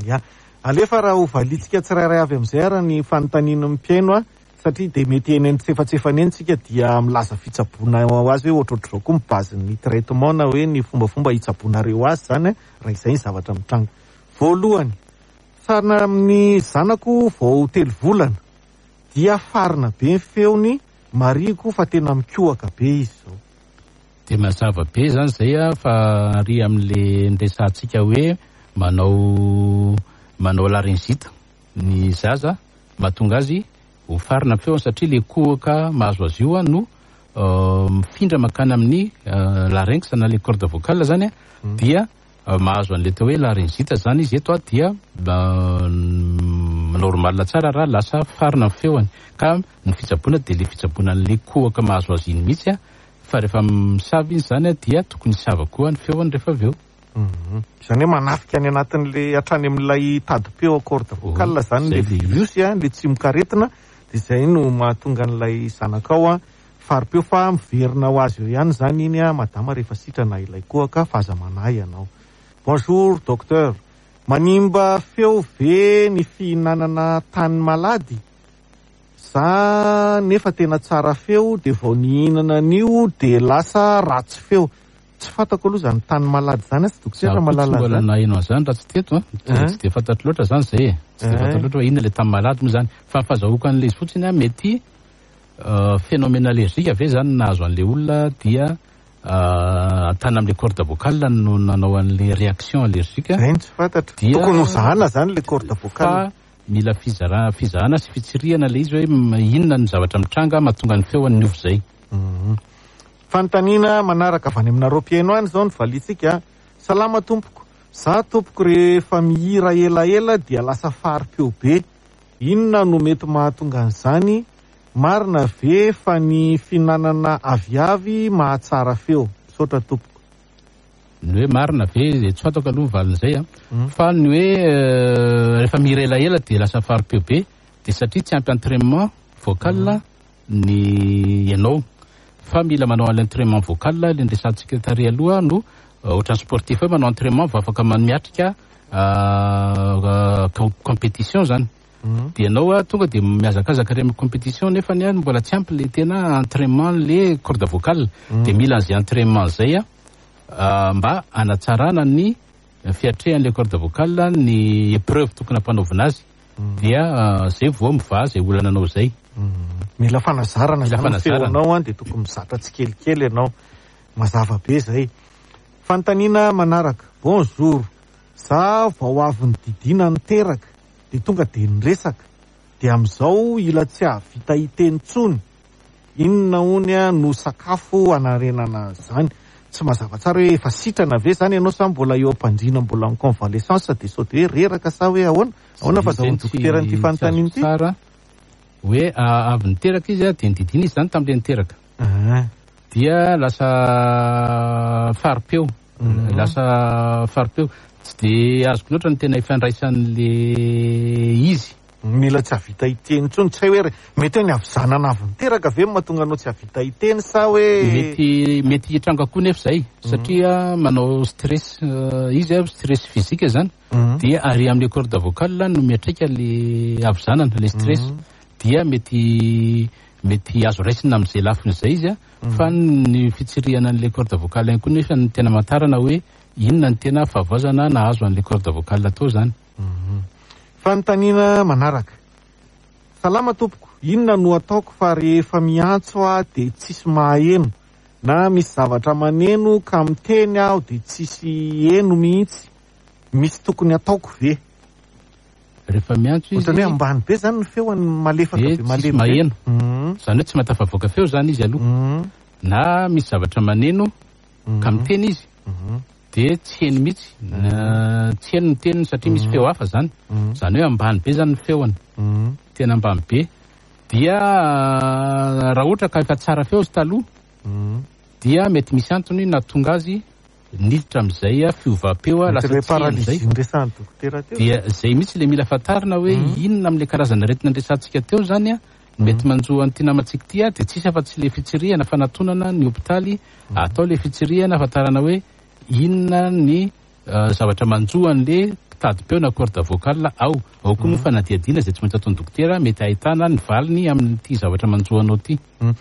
Ya. Alefa raha ho valiantsika tsirairay avy amin'izay ary ny fanontanian'ny mpihaino a, satria dia mety eny antsefatsefany eny tsika dia milaza fitsaboana ho azy hoe ohatrohatr'izao koa ny base-n'ny traitement na hoe ny fombafomba hitsaboanareo azy izany raha izay ny zavatra mitranga. Voalohany, sarina amin'ny zanako vao 3 volana dia farina be ny feony, marihiko fa tena mikohaka be izy izao.
Dia mazava be izany izay a, fa ary amin'le niresahantsika hoe manao manao laryngite ny zaza mahatonga azy ho farina ny feony satria le kohaka mahazo azy io no mifindra mankany amin'ny larynx na le corde vocale zany a, dia mahazo an'le atao hoe laryngite zany izy eto a, dia normal tsara raha lasa farina ny feony. Ka ny fitsaboana dia le fitsaboana an'le kohaka mahazo azy iny mihitsy a, fa rehefa misava izy zany a dia tokony hisava koa ny feony rehefa avy eo.
Izany hoe manafika any anatin'le hatrany amin'ilay tadim-peo corde vocale zany le virus a, le tsimokaretina, dia izay no mahatonga an'ilay zanakao a fari-peo fa miverina ho azy eo ihany zany iny a madama rehefa sitrana ilay kohaka fa aza manahy ianao. Bonjour docteur, manimba feo ve ny fihinanana tany malady? Za nefa tena tsara feo dia vao nihinana an'io dia lasa ratsy feo. Tsy fantako aloha izany tany malady izany atsy dokotera
Za koa tsy
malala
mbola
zany.
naheno an'izany raha tsy teto an. Tsy dia fantatro loatra izany izay e. Tsy dia fantatro loatra hoe inona ilay tany malady moa izany. Fa ny fahazahoako an'ilay izy fotsiny an, mety phénomène allergique ve izany nahazo an'ilay olona dia tany amin'ilay corde vocale no nanao an'ilay réaction allergique.
Izay no tsy fantatro.
Dia
Tokony hozahana izany ilay corde vocale.
Fa mila fizahana sy fitsirihana ilay izy hoe inona ny zavatra mitranga mahatonga ny feony niova izay.
Fanontaniana manaraka avy any aminareo mpihaino any izao no valiantsika. Salama tompoko. Za tompoko rehefa mihira elaela dia lasa fari-peo be. Inona no mety mahatonga an'izany? Marina ve fa ny fihinanana aviavy mahatsara feo? Misaotra tompoko.
Ny hoe marina ve dia tsy fantako aloha ny valin'izay a. Fa ny hoe rehefa mihira elaela dia lasa fari-peo be dia satria tsy ampy entrainement vocal ny ianao. Fa mila manao an'ilay entrainement vocal ilay niresahantsika tary aloha no ohatran'ny sportif hoe manao entrainement vao afaka miatrika compétition zany. Dia ianao tonga dia mihazakazaka ary amin'ny compétition nefa ny mbola tsy ampy ilay tena entrainement le corde vocale. Dia mila an'izay entrainement izay mba hanatsarana ny fiatrehan'ilay corde vocale ny épreuve tokony hampanaovina azy. Dia zay vao mivaha izay olana anao izay.
Mila fanazarana
Mila
zany ny
fanazarana.
feonao dia tokony mizatra tsikelikely ianao. Mazava be izay. Fanontaniana manaraka. Bonjour. Za vao avy nididina niteraka dia tonga dia niresaka. Dia amin'izao ila tsy hahavita hiteny intsony. Inona hony no sakafo hanarenana izany? Tsy mazava tsara hoe efa sitrana ve zany ianao sa mbola eo am-pandriana mbola en convalescence dia sao dia hoe reraka sa hoe ahoana? Ahoana fa zaho dokotera an'ity fanontaniana ity?
Tsara hoe avy niteraka izy dia nididina izy zany tamin'ilay niteraka. Dia lasa fari-peo. Lasa fari-peo. Tsy dia azoko loatra ny tena ifandraisan'le izy.
Mila tsy hahavita hiteny intsony. Tsy hay hoe mety hoe ny havizanana avy niteraka ve no mahatonga anao tsy hahavita hiteny sa hoe
Mety, mety hitranga koa nefa izay, satria manao stress izy, stress physique zany. Dia ary amin'ny corde vocale no miatraika le havizanana, le stress. Dia mety, mety azo raisina amin'izay lafiny izay izy, fa ny fitsirihana an'ilay corde vocale ihany koa nefa no tena amantarana hoe inona ny tena fahavoazana nahazo an'ilay corde vocale tao zany.
Fanontaniana manaraka. Salama tompoko, inona no ataoko fa rehefa miantso aho dia tsisy maheno, na misy zavatra maneno ka miteny aho dia tsisy heno mihitsy, misy tokony ataoko ve?
Rehefa miantso izy,
Ohatran'ny hoe ambany be zany ny feony, malefaka
dia
be,
tsisy
malemy be.
maheno. Zany hoe tsy mahatafavoaka feo zany izy aloha. Na misy zavatra maneno ka miteny izy, dia tsy heno mihitsy. Tsy heno ny teniny satria misy feo hafa zany. Zany hoe ambany be zany ny feony. Tena ambany be. Dia raha ohatra ka efa tsara feo izy taloha, dia mety misy antony nahatonga azy niditra amin'izay fiovam-peo,
Mety
lasa
ilay
tsy heno izay.
paralysie niresahan'ny dokotera teo.
Dia zay mihitsy ilay mila fantarina hoe inona amin'ilay karazana aretina niresahantsika teo zany mety manjo an'ity namantsika ity, dia tsisy afa-tsy ilay fitsirihana fanatonana ny hopitaly, atao ilay fitsirihana ahafantarana hoe inona ny zavatra manjo an'ilay tady-peo na corde vocale ao. Ao koa moa fanadihadiana izay tsy maintsy ataon'ny dokotera, mety ahitana ny valiny amin'ity zavatra manjo anao ity.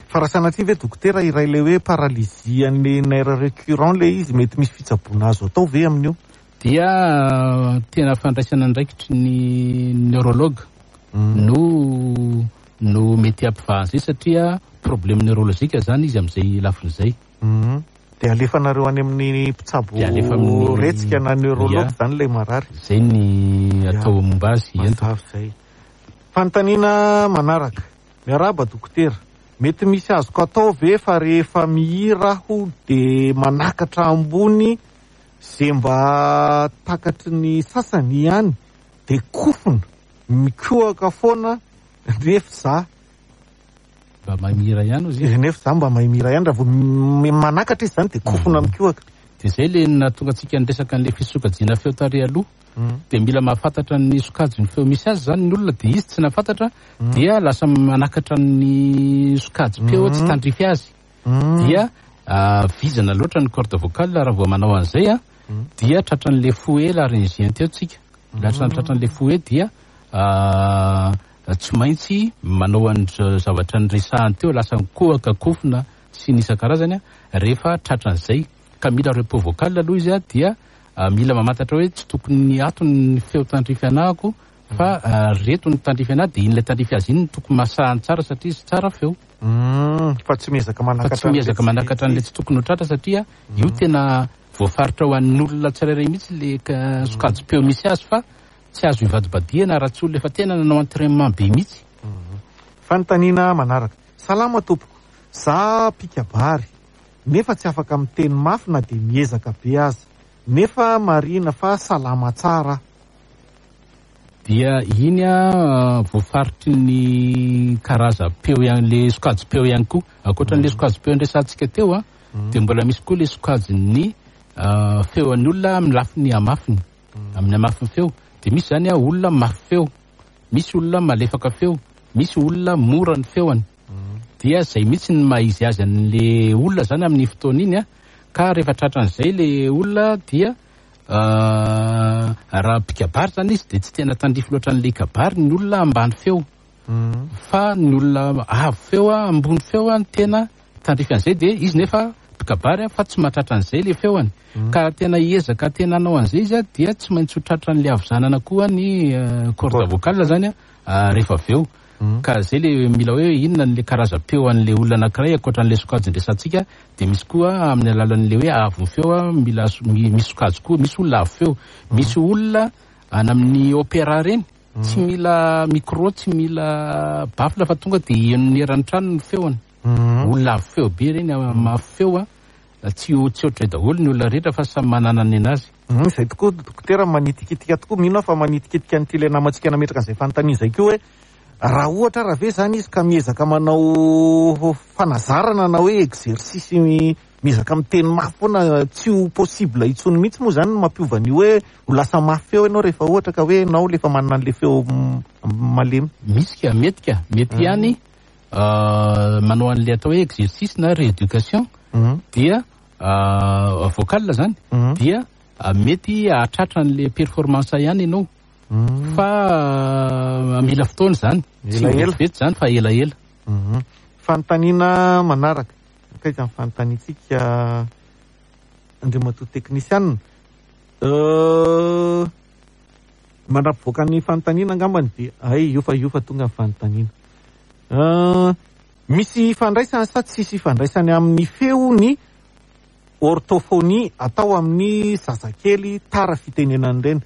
Fa raha sanatria ve dokotera iray ilay hoe paralysie an'ilay nerf récurrent ilay izy, mety misy fitsaboana azo atao ve amin'io?
Dia tena fandraisana andraikitry ny neurologue no no mety hampivaha an'izay satria problème neurologique zany izy amin'izay lafiny izay.
Dia alefanareo any amin'ny mpitsabo
Dia alefa amin'ny
retsika na neurologue zany ilay marary.
Izay ny atao momba azy, ento.
Mazava izay. Fanontaniana manaraka. Miarahaba dokotera. Mety misy azoko atao ve fa rehefa mihira aho dia manakatra ambony izay mba takatry ny sasany ihany dia kofona mikohaka foana nefa za.
Mba mahay mihira ihany ozy izy.
Nefa za mba mahay mihira ihany, raha vao manakatra izy zany dia kofona mikohaka.
Dia zay le nahatonga antsika niresaka an'ilay fisokajiana feo tary aloha. Dia mila mahafantatra ny sokajin'ny feo misy azy zany ny olona, dia izy tsy nahafantatra, dia lasa manakatra ny sokajim-peo tsy tandrify azy. Dia vizana loatra ny corde vocale raha vao manao an'izay, dia tratran'ilay fouet laryngien teo tsika. Lasa tratran'ilay fouet dia tsy maintsy manao an'izao zavatra niresahany teo, lasa mikohaka, kofona sy ny isan-karazany, rehefa tratran'izay. Ka mila repos vocal aloha izy, dia mila mamantatra hoe tsy tokony ato ny feo tandrify anahako fa reto ny tandrify anahy, dia iny ilay tandrify azy iny no tokony masahany tsara satria izy tsara feo.
Fa tsy miezaka manakatra
Fa tsy miezaka manakatra an'ilay tsy tokony ho tratra satria io tena voafaritra ho an'ny olona tsirairay mihitsy ilay sokajim-peo misy azy fa tsy azo ivadibadihana raha tsy olona efa tena nanao entraînement be mihitsy.
Fanontaniana manaraka. Salama tompoko, za mpikabary nefa tsy afaka miteny mafy na dia miezaka be aza. Nefa marihina fa salama tsara aho.
Dia iny a voafaritry ny karazam-peo ihany, le sokajim-peo ihany koa. Ankoatran'le sokajim-peo nresahantsika teo a, dia mbola misy koa le sokajin'ny feon'ny olona amin'ny lafiny hamafiny, amin'ny hamafin'ny feo. Dia misy zany a olona mafy feo, misy olona malefaka feo, misy olona mora ny feony. Dia zay mihitsy ny maha izy azy an'le olona zany amin'ny fotoana iny a. Ka rehefa tratran'izay le olona dia raha mpikabary zany izy dia tsy tena tandrify loatra an'le kabary ny olona ambany feo. Fa ny olona avo feo a, ambony feo a, no tena tandrify an'izay, dia izy nefa mpikabary a, fa tsy mahatratra an'izay le feony. Ka tena hiezaka tena hanao an'izay izy a, dia tsy maintsy ho tratran'le havizanana koa ny corde vocale zany a, rehefa avy eo. Ka zay le mila hoe inona le karazam-peo an'le olona anankiray ankoatran'le sokajy ndresantsika, dia misy koa amin'ny alalan'le hoe avon'ny feo a, mila misy sokajy koa, misy olona avo feo, misy olona any amin'ny opéra reny, tsy mila micro, tsy mila baffle fa tonga dia henon'ny eran'ny trano ny feony. Olona avo feo be reny, mafy feo a, tsy tsy ohatray daholo ny olona rehetra fa samy manana ny anazy.
Izay tokoa dokotera, manitikitika tokoa, mino aho fa manitikitika an'ity ilay namantsika nametraka an'izay fanontaniana izay koa hoe raha ohatra raha ve zany izy ka miezaka manao fanazarana na hoe exercice miezaka miteny mafy foana, tsy ho possible intsony mihitsy moa zany ny mampiova ny hoe ho lasa mafy feo ianao rehefa ohatra ka hoe ianao le efa manana an'le feo malemy?
Misy ka, mety ka, mety ihany manao an'le atao hoe exercice na rééducation dia vocal zany, dia mety hahatratra an'le performance ihany ianao, fa mila fotoana zany, tsy
Elaela.
vetivety zany fa elaela.
Fanontaniana manaraka, akaiza ny fanontaniantsika andriamatoa teknisianina? Mandra-pivoaka ny fanontaniana angambany dia ay io fa io fa tonga ny fanontaniana. Misy ifandraisany sa tsisy ifandraisany amin'ny feo ny orthophonie atao amin'ny zazakely tara fitenenana ireny?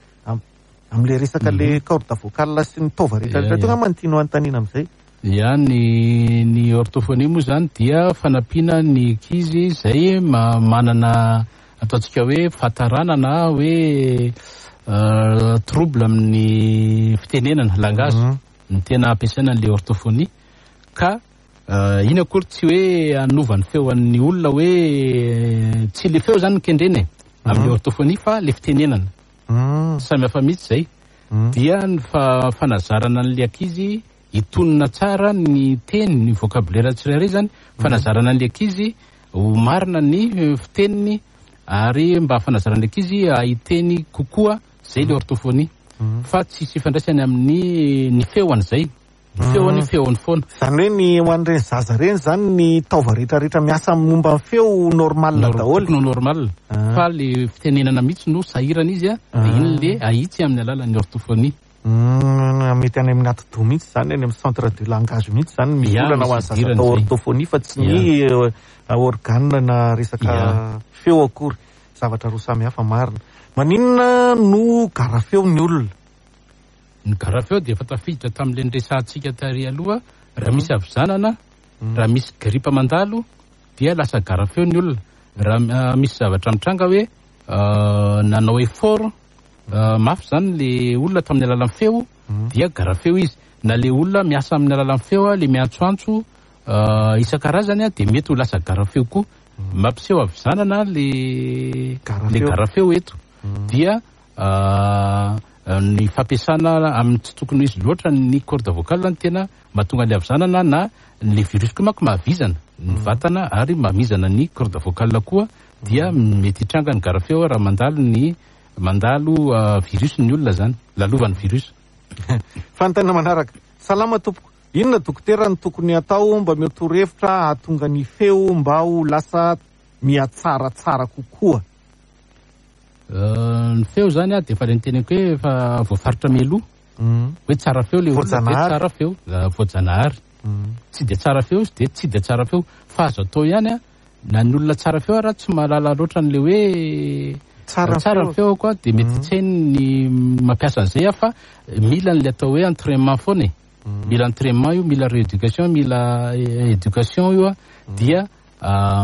Amin'le resaka le corde vocale sy ny taova rehetra rehetra teo angamba no tianao anontaniana amin'izay.
Ya, ny orthophonie moa zany dia fanampiana ny ankizy izay manana ataontsika hoe fahatarana na hoe trouble amin'ny fitenenana, langage, ny tena ampiasaina an'le orthophonie. Ka iny akory tsy hoe hanova ny feon'ny olona, hoe tsy le feo zany no kendrena e amin'ny orthophonie fa le fitenenana. Samy hafa mihitsy zay. Dia ny fanazarana an'le ankizy hitonona tsara ny teny, ny vocabulaire tsirairay zany, fanazarana an'le ankizy ho marina ny fiteniny ary mba fanazarana an'le ankizy hahiteny kokoa, zay le orthophonie. Fa tsisy ifandraisany amin'ny ny feony zay. Ny feony, feony foana.
Zany hoe ny ho an'ireny zaza ireny zany ny taova rehetrarehetra miasa momba ny feo normal daholo.
Tokony ho normal. Fa le fitenenana mihitsy no sahirana izy a, dia iny le ahitsy amin'ny alalan'ny orthophonie.
Mety any amin'ny atidoha mihitsy zany, any amin'ny centre de langage mihitsy zany misy
Ya,
olana ho an'ny
misy
zaza
idirany
atao
zay.
orthophonie fa tsy ny organe na resaka feo akory. Zavatra roa samy hafa marina. Maninona no garafeo ny olona?
Ny garafeo dia efa tafiditra tamin'ilay niresahantsika tary aloha, raha misy havizanana, raha misy gripa mandalo dia lasa garafeo ny olona. Raha misy zavatra mitranga hoe nanao effort mafy zany le olona tamin'ny alalan'ny feo, dia garafeo izy. Na le olona miasa amin'ny alalan'ny feo, le miantsoantso isan-karazany, dia mety ho lasa garafeo koa. Mampiseho havizanana le
Garafeo.
garafeo eto. Dia ny fampiasana amin'ny tsy tokony izy loatra ny corde vocale no tena mahatonga ny havizanana, na le virus koa manko mahavizana ny vatana ary mamizana ny corde vocale koa, dia mety hitranga ny garafeo raha mandalo virus ny olona zany, lalovan'ny virus.
Fanontaniana manaraka. Salama tompoko. Inona dokotera no tokony atao mba mety torohevitra hahatonga ny feo mba ho lasa mihatsaratsara kokoa?
Ny feo zany a dia efa le niteneniko hoe efa voafaritra mialoha. Hoe tsara feo le olona, dia
Voajanahary.
tsara feo, voajanahary. Tsy dia tsara feo izy dia tsy dia tsara feo. Fa azo atao ihany a, na ny olona tsara feo ara tsy mahalala loatra an'le hoe
Tsara
tsara
feo.
feo koa, dia mety tsy hainy ny mampiasa an'izay a, fa mila an'le atao hoe entraînement foana e. Mila entraînement io, mila rééducation, mila éducation io a, dia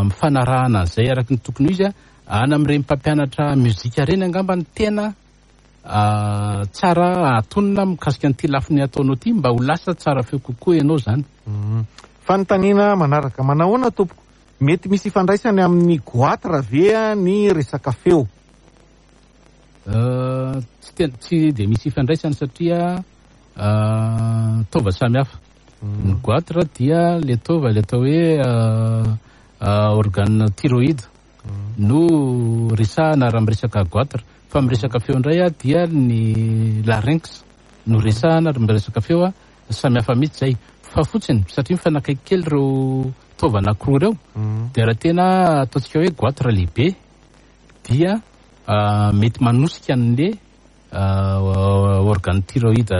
mifanarahana an'izay araka ny tokony ho izy a. Any amin'ireny mpampianatra mozika ireny angamba no tena tsara atonina mikasika an'ity lafiny ataonao ity mba ho lasa tsara feo kokoa ianao izany.
Fanontaniana manaraka, manahoana tompoko? Mety misy ifandraisany amin'ny goitre ve ny resaka feo?
Tsy tena, tsy dia misy ifandraisany satria taova samy hafa. Ny goitre dia le taova le atao hoe organe thyroïde no resahana raha miresaka goitre. Fa miresaka feo indray dia ny larynx no resahana raha miresaka feo, samy hafa mihitsy izay. Fa fotsiny satria mifanakaiky kely ireo taova anankiroa ireo dia raha tena ataontsika hoe goitre lehibe dia mety manosika an'le organe thyroïde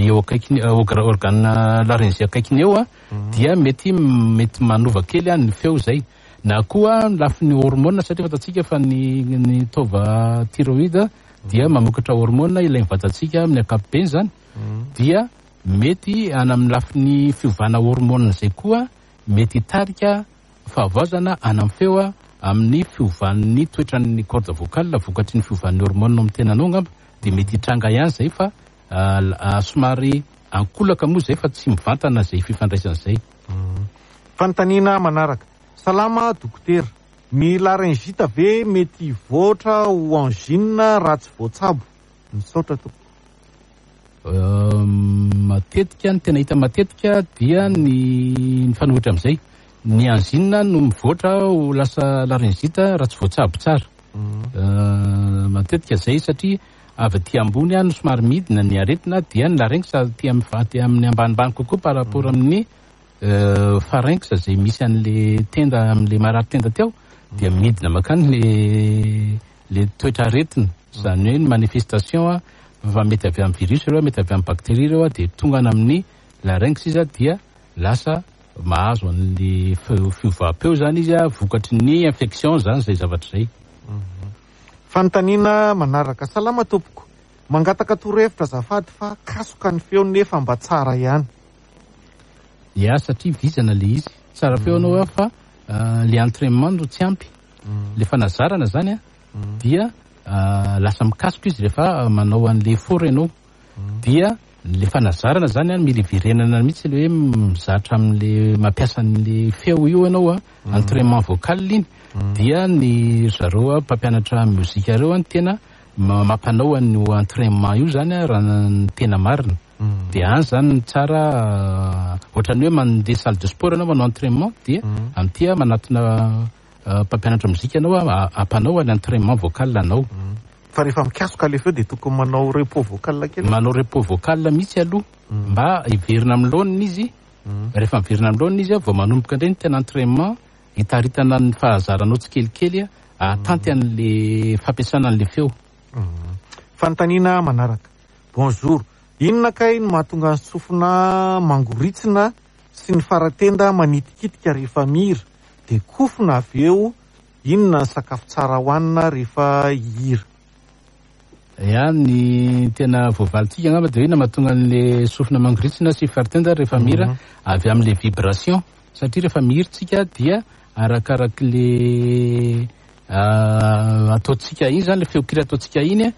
eo akaikiny, organe laryngé akaikiny eo dia mety mety manova kely ny feo izay. Na koa ny lafiny hormone satria fantatsika fa ny ny taova thyroïde dia mamokatra hormone ilain'ny vatantsika amin'ny ankapobeny izany dia mety any amin'ny lafiny fiovana hormone izay koa mety hitarika fahavoazana any amin'ny feo amin'ny fiovan'ny toetran'ny corde vocale vokatry ny fiovan'ny hormone ao amin'ny tenanao angamba dia mety hitranga ihany izay fa somary ankolaka moa izay fa tsy mivantana izay fifandraisana izay.
Fanontaniana manaraka. Salama dokotera. Ny laryngite ve mety hivoatra ho angine raha tsy voatsabo? Misaotra tompoko.
Matetika, ny tena hita matetika dia ny mifanohitra amin'izay. Ny angine no mivoatra ho lasa laryngite raha tsy voatsabo tsara. Matetika izay satria avy aty ambony no somary midina ny aretina dia ny larynx aty amin'ny ambanimbany kokoa par rapport amin'ny pharynx izay misy an'le tenda amin'le marary tenda teo dia midina mankany le le toetra aretina, izany hoe ny manifestation fa mety avy amin'ny virus ireo, mety avy amin'ny bactérie ireo dia tonga any amin'ny larynx izy dia lasa mahazo an'le fiovam-peo izany izy vokatry ny infection izany izay zavatra izay.
Fanontaniana manaraka. Salama tompoko. Mangataka torohevitra azafady fa kasoka ny feo nefa mba tsara ihany.
Ya, satria vizana le izy. Tsara feo ianao fa le entraînement no tsy ampy. Le fanazarana zany dia lasa mikasoka izy rehefa manao an'le effort ianao. Dia le fanazarana zany mila iverenana mihitsy le hoe mizatra amin'le mampiasa an'le feo io ianao, entraînement vocal iny. Dia ny zareo mpampianatra mozika ireo no tena mampanao an'io entraînement io zany raha ny tena marina. Dia any zany ny tsara ohatran'ny hoe mandeha salle de sport ianao manao entraînement dia amin'ity manatona mpampianatra mozika ianao ampanao any entraînement vocal anao.
Fa rehefa mikasoka le feo dia tokony manao repos vocal kely.
Manao repos vocal mihitsy aloha mba hiverina amin'ny laoniny izy. Rehefa miverina amin'ny laoniny izy vao manomboka indray ny tena entraînement hitaritana ny fahazaranao tsikelikely ahatanty an'le fampiasana an'le feo.
Fanontaniana manaraka. Bonjour. Inona kay no mahatonga ny sofina mangoritsina sy ny faratenda manitikitika rehefa mihira? Dia kofona avy eo, inona ny sakafo tsara hohanina rehefa hihira?
Ya, ny tena voavalintsika angamba dia inona mahatonga an'le sofina mangoritsina sy faratenda rehefa mihira? Avy amin'le vibration. Satria rehefa mihira tsika dia arakarak'le ataontsika iny zany, le feon-kira ataontsika iny,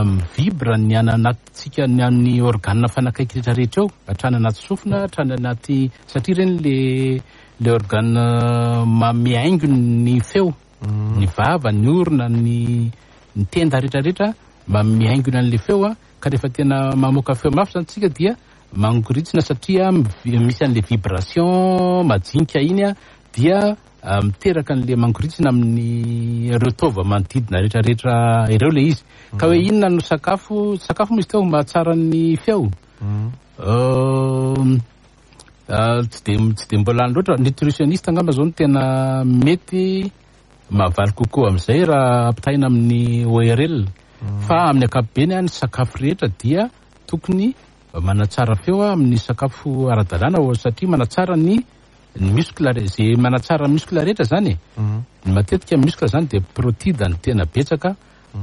mivibre ny any anatintsika, ny amin'ny organe fanakaiky rehetra rehetra eo, hatrany anaty sofina, hatrany anaty, satria ireny le le organe manome haingo ny feo, ny vava, ny orona, ny ny tenda rehetra rehetra manome haingony an'le feo, ka rehefa tena mamoaka feo mafy zany tsika dia mangoritsina satria misy an'le vibration majinika iny dia miteraka an'le mangoritsina amin'ny ireo taova manodidina rehetra rehetra ireo le izy. Ka hoe inona no sakafo, sakafo moa izy teo mahatsara ny feo? Tsy dia, tsy dia mbola any loatra. Nutritionniste angamba zao no tena mety mahavaly kokoa amin'izay raha ampitahaina amin'ny ORL. Fa amin'ny ankapobeny ny sakafo rehetra dia tokony manatsara feo amin'ny sakafo ara-dalàna satria manatsara ny ny muscle, zay manatsara muscle rehetra zany e. Ny matetika muscle zany dia protide no tena betsaka,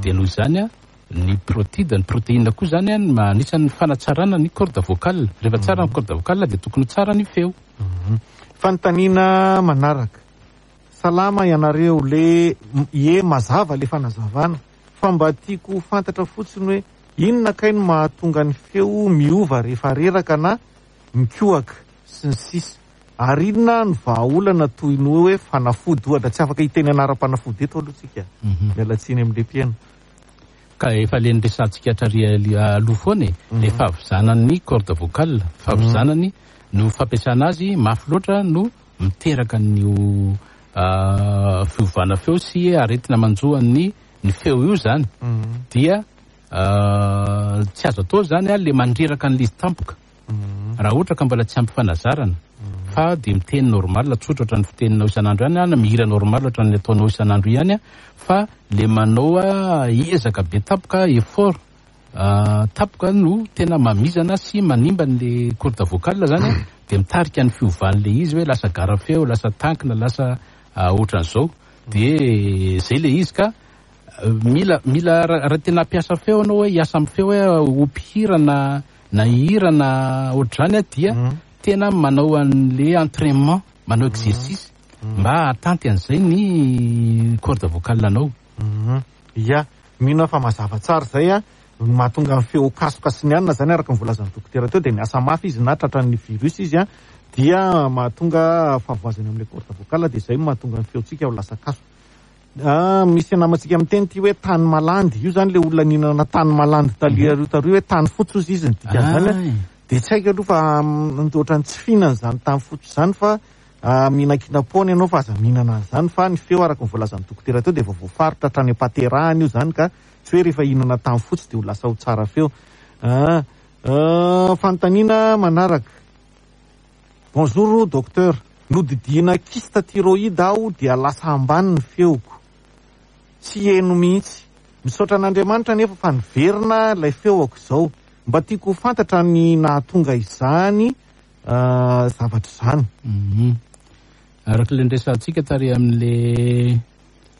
dia noho izany ny protide, ny protéine koa zany no anisan'ny fanatsarana ny corde vocale. Rehefa tsara ny corde vocale dia tokony ho tsara ny feo.
Fanontaniana manaraka. Salama ianareo le ie mazava le fanazavana fa mba tiako ho fantatra fotsiny hoe inona kay no mahatonga ny feo miova rehefa reraka na mikohaka sy ny sisa ary inona no vahaolana toy ny hoe fanafody ohatra tsy afaka hiteny anaram-panafody eto aloha tsika miala tsiny amin'le mpihaino.
Ka efa le niresahantsika hatrary aloha foana e, le fahavizanan'ny corde vocale, fahavizanany no fampiasana azy mafy loatra no miteraka an'io fiovana feo sy aretina manjo an'ny ny feo io zany dia tsy azo atao zany a le mandreraka an'le izy tampoka raha ohatra ka mbola tsy ampy fanazarana fa dia miteny normal tsotra ohatran'ny fiteninao isan'andro ihany na mihira normal ohatran'ny ataonao isan'andro ihany a fa le manao ezaka be tampoka effort tampoka no tena mamizana sy manimba an'le corde vocale zany a dia mitarika ny fiovan'le izy hoe lasa gara feo, lasa tankina, lasa ohatran'izao dia zay le izy ka mila mila raha tena hampiasa feo ianao hoe hiasa amin'ny feo hoe ho mpihira na na hihira na ohatr'izany a dia tena manao an'le entraînement, manao exercice mba hahatanty an'izay ny corde vocale anao.
Ya, mino aho fa mazava tsara izay a. Ny mahatonga ny feo kasoka sy ny anona izany araka ny voalazan'ny dokotera teo dia miasa mafy izy na tratran'ny virus izy a, dia mahatonga fahavoazana eo amin'ilay corde vocale dia izay no mahatonga ny feontsika ho lasa kasoka. Ah, misy namantsika miteny ity hoe tany malandy, io izany ilay olona nihinana tany malandy taloha io taloha hoe tany fotsy hozy izy ny dikan'izany a. Dia tsy haiko aloha fa ohatran'ny tsy fihinana izany tany fotsy izany fa Mihinankinam-poana ianao fa aza mihinana an'izany fa ny feo araka ny voalazan'ny dokotera teo dia efa voafaritra hatrany am-pahaterahana io izany ka tsy hoe rehefa hihinana tany fotsy dia ho lasa ho tsara feo. Fanontaniana manaraka. Bonjour docteur, nodidiana kyste thyroïde aho dia lasa ambany ny feoko. Tsy heno mihitsy. Misaotra an'Andriamanitra anefa fa niverina ilay feoko izao. Mba tiako ho fantatra ny nahatonga izany zavatra izany.
Araka ilay niresahantsika tary amin'ilay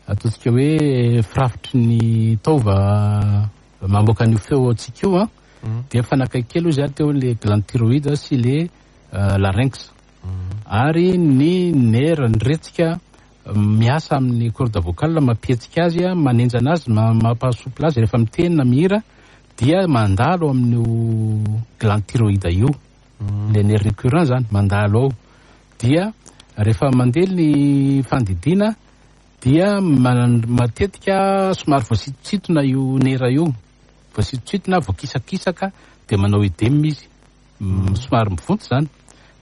ataontsika hoe firafitry ny taova mamoaka an'io feo antsika io an, dia mifanakaiky kely hoy izaho teo ilay glande thyroïde sy ilay larynx. Ary ny nerf, ny retsika miasa amin'ny corde vocale mampihetsika azy, manenjana azy, mampahasouple azy rehefa miteny na mihira dia mandalo amin'io glande thyroïde io. Le nerf récurrent zany mandalo ao dia rehefa mandeha ny fandidiana dia matetika somary voasitositona io nerf io, voasitositona, voakisakisaka dia manao œdème izy, somary mivonto zany,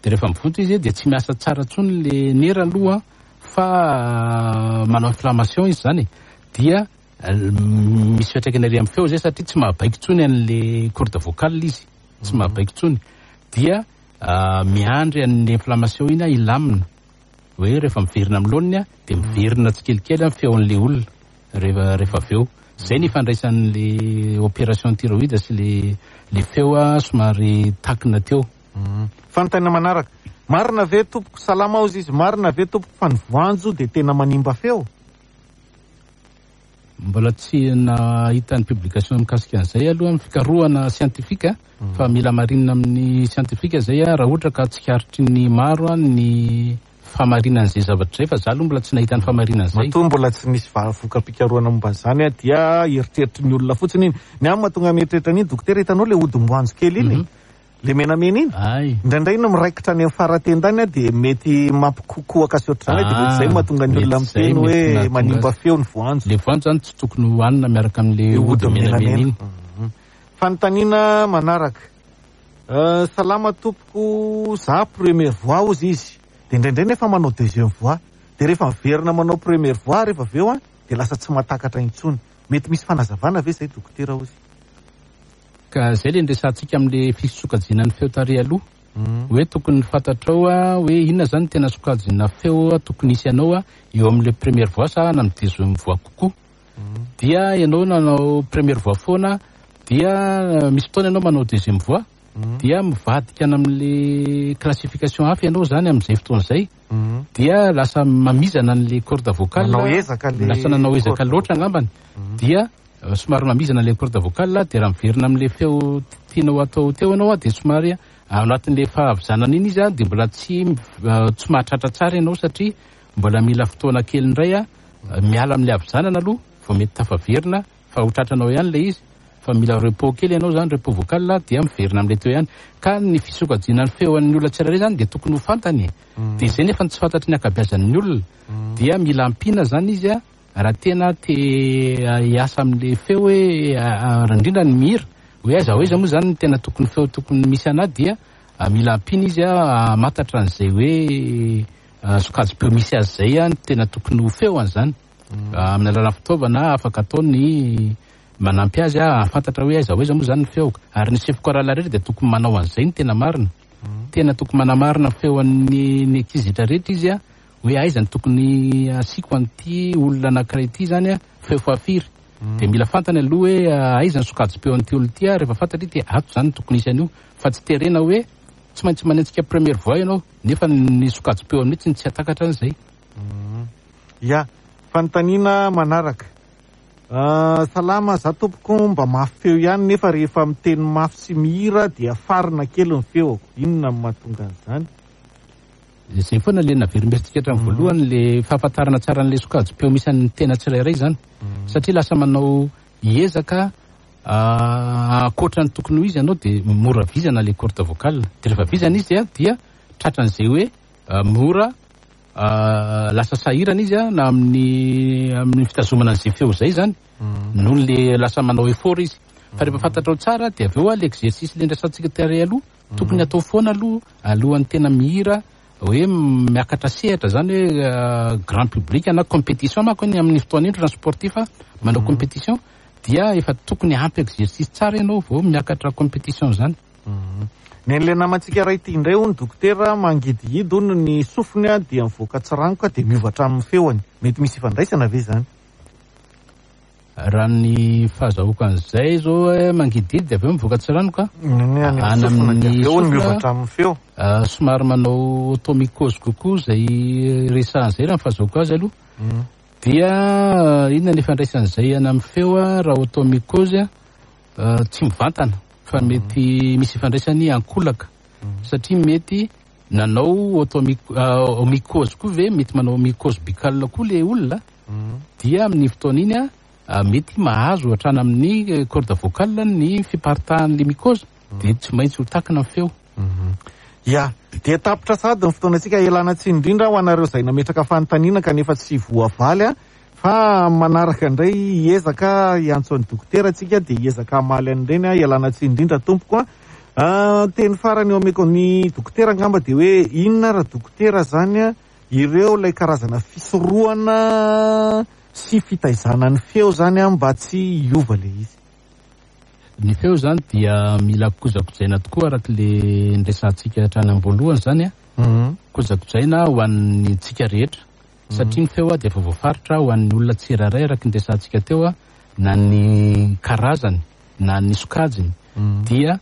dia rehefa mivonto izy dia tsy miasa tsara intsony le nerf aloha fa manao inflammation izy zany e, dia misy fiantraikany ery amin'ny feo zay satria tsy mahabaiko intsony an'le corde vocale izy. tsy mahabaiko intsony dia miandry an'ilay inflammation iny aho hilamina hoe rehefa miverina amin'ny laoniny aho dia miverina tsikelikely ny feon'ilay olona rehefa rehefa avy eo. Izay ny ifandraisan'ilay opération thyroïde sy le le feo somary takina teo.
Fanontaniana manaraka, marina ve tompoko, salama hozy izy, marina ve tompoko fa ny voanjo dia tena manimba feo?
Mbola tsy nahita ny publication mikasika an'izay aloha amin'ny fikarohana scientifique fa mila hamarinina amin'ny scientifique izay raha ohatra ka tsikaritry ny maro ny fahamarinan'izay zavatra izay fa za aloha mbola tsy nahita ny fahamarinan'izay.
Matoa mbola tsy nisy voka-pikarohana momba an'izany dia eritreritry ny olona fotsiny iny. Ny ahy mahatonga mieritreritra an'iny dokotera hitanao ilay hodim-boanjo kely iny? Le menamena iny?
Ay.
Indraindray iny miraikitra any amin'ny fara-tenda any dia mety mampikokoaka sy ohatr'izany dia mety izay no mahatonga ny olona
mety izay,
miteny
mety
hoe
nahatonga
manimba
azy.
feo ny voanjo.
Le voanjo zany tsy tokony hohanina miaraka amin'le
Io
hody
hody
menamena
menamena.
iny.
Fanontaniana manaraka. Salama tompoko, za première voix hozy izy, dia indraindray nefa manao deuxième voix, dia rehefa miverina manao première voix rehefa avy eo an, dia lasa tsy mahatakatra intsony. Mety misy fanazavana ve izay dokotera hozy?
Ka zay le niresahantsika amle fisokajiana ny feo tary aloha hoe tokony fantatrao hoe inona zany tena sokajina feo tokony hisy anao eo amle première voix sa na amin'ny deuxième voix kokoa. Dia ianao nanao première voix foana dia misy fotoana ianao manao deuxième voix dia mivadika any amle classification hafa ianao zany am'izay fotoana izay dia lasa mamizana an'le corde vocale,
Nanao ezaka le
lasa nanao ezaka
corde
loatra angambany dia Somary mamizana ilay corde vocale dia raha miverina amin'ilay feo tianao atao teo ianao dia somary ao anatin'ilay fahavizanana iny izy dia mbola tsy tsy mahatratra tsara ianao satria mbola mila fotoana kely indray a, miala amin'ilay havizanana aloha vao mety tafaverina fa ho tratranao ihany ilay izy fa mila repos kely ianao zany, repos vocal, dia miverina amin'ilay teo ihany. Ka ny fisokajiana ny feon'ny olona tsirairay zany dia tokony ho fantany e. Dia izay nefa no tsy fantatry ny ankabeazan'ny olona. Dia mila ampiana zany izy a, raha tena te hiasa amin'ilay feo hoe indrindra ny mihira, hoe aiza ho aiza moa zany ny tena tokony feo tokony misy anà, dia mila ampiana izy a hamantatra an'izay hoe sokajim-peo misy azy izay ny tena tokony ho feoany zany. Amin'ny alalan'ny fitaovana afaka atao ny manampy azy hahafantatra hoe aiza ho aiza moa zany ny feoko. Ary ny chef chorale rehetra dia tokony manao an'izay ny tena marina. Tena tokony manamarina ny feon'ny ny ankizy rehetra rehetra izy hoe aiza no tokony asiako an'ity olona anankiray ity zany feo fahafiry. Dia mila fantany aloha hoe aiza ny sokajim-peo an'ity olona ity, rehefa fantatra izy dia ato zany no tokony hisy an'io. Fa tsy terena hoe tsy maintsy manenjika première voix ianao nefa ny sokajim-peony mihitsy no tsy hahatakatra an'izay.
Ya, fanontaniana manaraka. Salama, za tompoko mba mafy feo ihany nefa rehefa miteny mafy sy mihira dia farina kely ny feoko. Inona no mahatonga an'izany?
Izay foana le naverimberitsika hatramin'ny voalohany, le fahafantarana tsara an'ilay sokajim-peo misy an'ny tena tsirairay izany. Satria lasa manao hiezaka ankoatra ny tokony ho izy ianao dia mora vizana le corde vocale. Dia rehefa vizana izy dia tratran'izay hoe mora lasa sahirana izy na amin'ny amin'ny fitazomana an'izay feo izay izany, noho le lasa manao effort izy. Fa rehefa fantatrao tsara dia avy eo le exercice le ndrasantsika tary aloha, tokony atao foana aloha alohan'ny tena mihira hoe miakatra sehatra zany hoe grand public na compétition manko ny amin'ny fotoana indro na sportif manao compétition dia efa tokony ampy exercice tsara ianao vao miakatra compétition zany.
Ny an'ilay namantsika iray ity indray hono dokotera, mangidihidy hono ny sofiny dia mivoaka tsiranoka dia miova hatramin'ny feony. Mety misy ifandraisana ve izany?
Raha ny fahazahoako an'izay izao hoe mangidihidy dia avy eo mivoaka tsiranoka.
Ny any amin'ny sofina dia avy eo hono miova hatramin'ny feo.
Somary manao automycose kokoa izay resahana izay raha ny fahazahoako azy aloha. Dia inona ny ifandraisan'izay any amin'ny feo raha automycose? Tsy mivantana fa mety misy ifandraisany ankolaka satria mety nanao automycose koa ve, mety manao mycose buccale koa le olona dia amin'ny fotoana iny mety mahazo hatrany amin'ny corde vocale ny fiparitahan'le mycose dia tsy maintsy ho takina ny feo.
Ya, dia tapitra sahady ny fotoanantsika. Ialana tsiny indrindra ho anareo izay nametraka fanontaniana kanefa tsy voavaly. Fa manaraka indray hiezaka hiantso an'i dokotera tsika dia hiezaka hamaly an'ireny a, ialana tsiny indrindra tompoko a. Teny farany eo ameko ny dokotera angamba dia hoe inona ra dokotera zany a ireo ilay karazana fisorohana sy fitaizana ny feo zany a mba tsy hiova ilay izy.
Ny feo zany dia mila kojakojaina tokoa araka le niresahantsika hatrany am-boalohany zany a. Kojakojaina ho an'ny tsika rehetra. Satria ny feo dia efa voafaritra ho an'ny olona tsirairay araka ny resahantsika teo, na ny karazany na ny sokajiny dia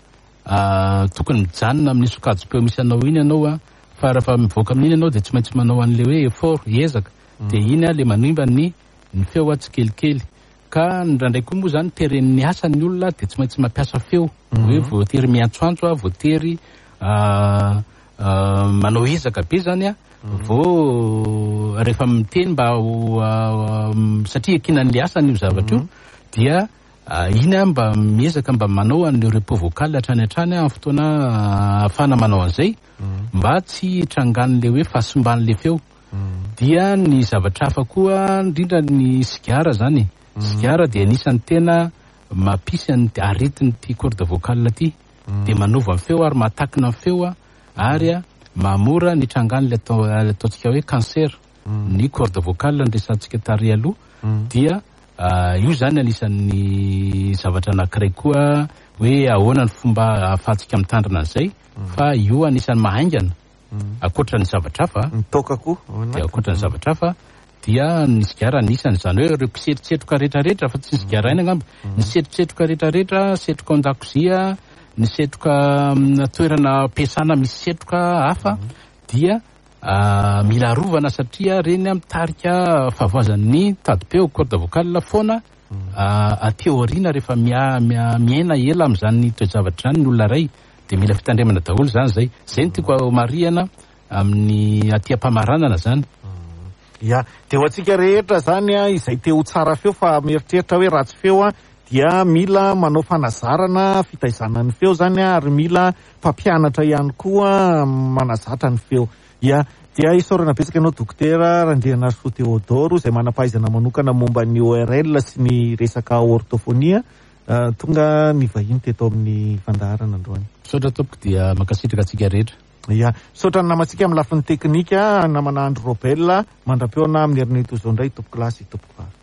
tokony mijanona amin'ny sokajim-peo misy anao iny ianao, fa rehefa mivoaka amin'iny ianao dia tsy maintsy manao an'ilay hoe effort, ezaka, dia iny ilay manimba ny feo tsikelikely. Ka indraindray koa moa zany teren'ny asa ny olona dia tsy maintsy mampiasa feo, hoe voatery miantsoantso, voatery manao ezaka be zany vao rehefa miteny mba ho satria iankinan'ilay asany io zavatra io dia iny mba miezaka mba manao an'ireo repos vocal hatrany hatrany amin'ny fotoana ahafahana manao an'izay mba tsy hitrangan'ilay hoe fahasimban'ilay feo. Dia ny zavatra hafa koa indrindra ny sigara zany. Sigara dia anisan'ny tena mampisy an'ity aretin'ity corde vocale ity. Dia manova ny feo ary mahatakina ny feo ary mahamora ny trangan'ilay ataontsika hoe cancer. Ny corde vocale no resahantsika tary aloha. Dia io zany anisan'ny zavatra anankiray koa hoe ahoana ny fomba ahafahantsika mitandrina an'izay, fa io anisan'ny mahaingana. Ankoatra ny zavatra hafa,
Ny toaka koa,
dia ankoatra ny zavatra hafa dia ny sigara anisany, izany hoe ireo mpisetrosetroka rehetrarehetra, fa tsy ny sigara ihany angamba, ny setrosetroka rehetrarehetra, setroka ao an-dakozia, ny setroka amina toerana ampiasana misy setroka hafa dia mila arovana satria ireny mitarika fahavoazan'ny tadim-peo, corde vocale foana aty aoriana rehefa miaina ela amin'izany toe-javatra izany ny olona iray. Dia mila fitandremana daholo izany izay. Izay no tiako homarihana amin'ny aty am-pamaranana izany.
Ya, dia ho antsika rehetra zany a, izay te ho tsara feo fa mieritreritra hoe ratsy feo a, dia mila manao fanazarana fitaizana ny feo zany a, ary mila mpampianatra ihany koa manazatra ny feo. Ya, dia isaorana betsaka ianao Dokotera Randrianarisoa Théodore izay manam-pahaizana manokana momba ny ORL sy ny resaka orthophonie, tonga nivahiny teto amin'ny fandaharana androany.
Misaotra tompoko dia mankasitraka antsika rehetra.
Ya, misaotra ny namantsika amin'ny lafiny teknika, namana Andry Robel, mandra-pihaona amin'ny herinandro toy izao indray tompokolahy sy tompokovavy.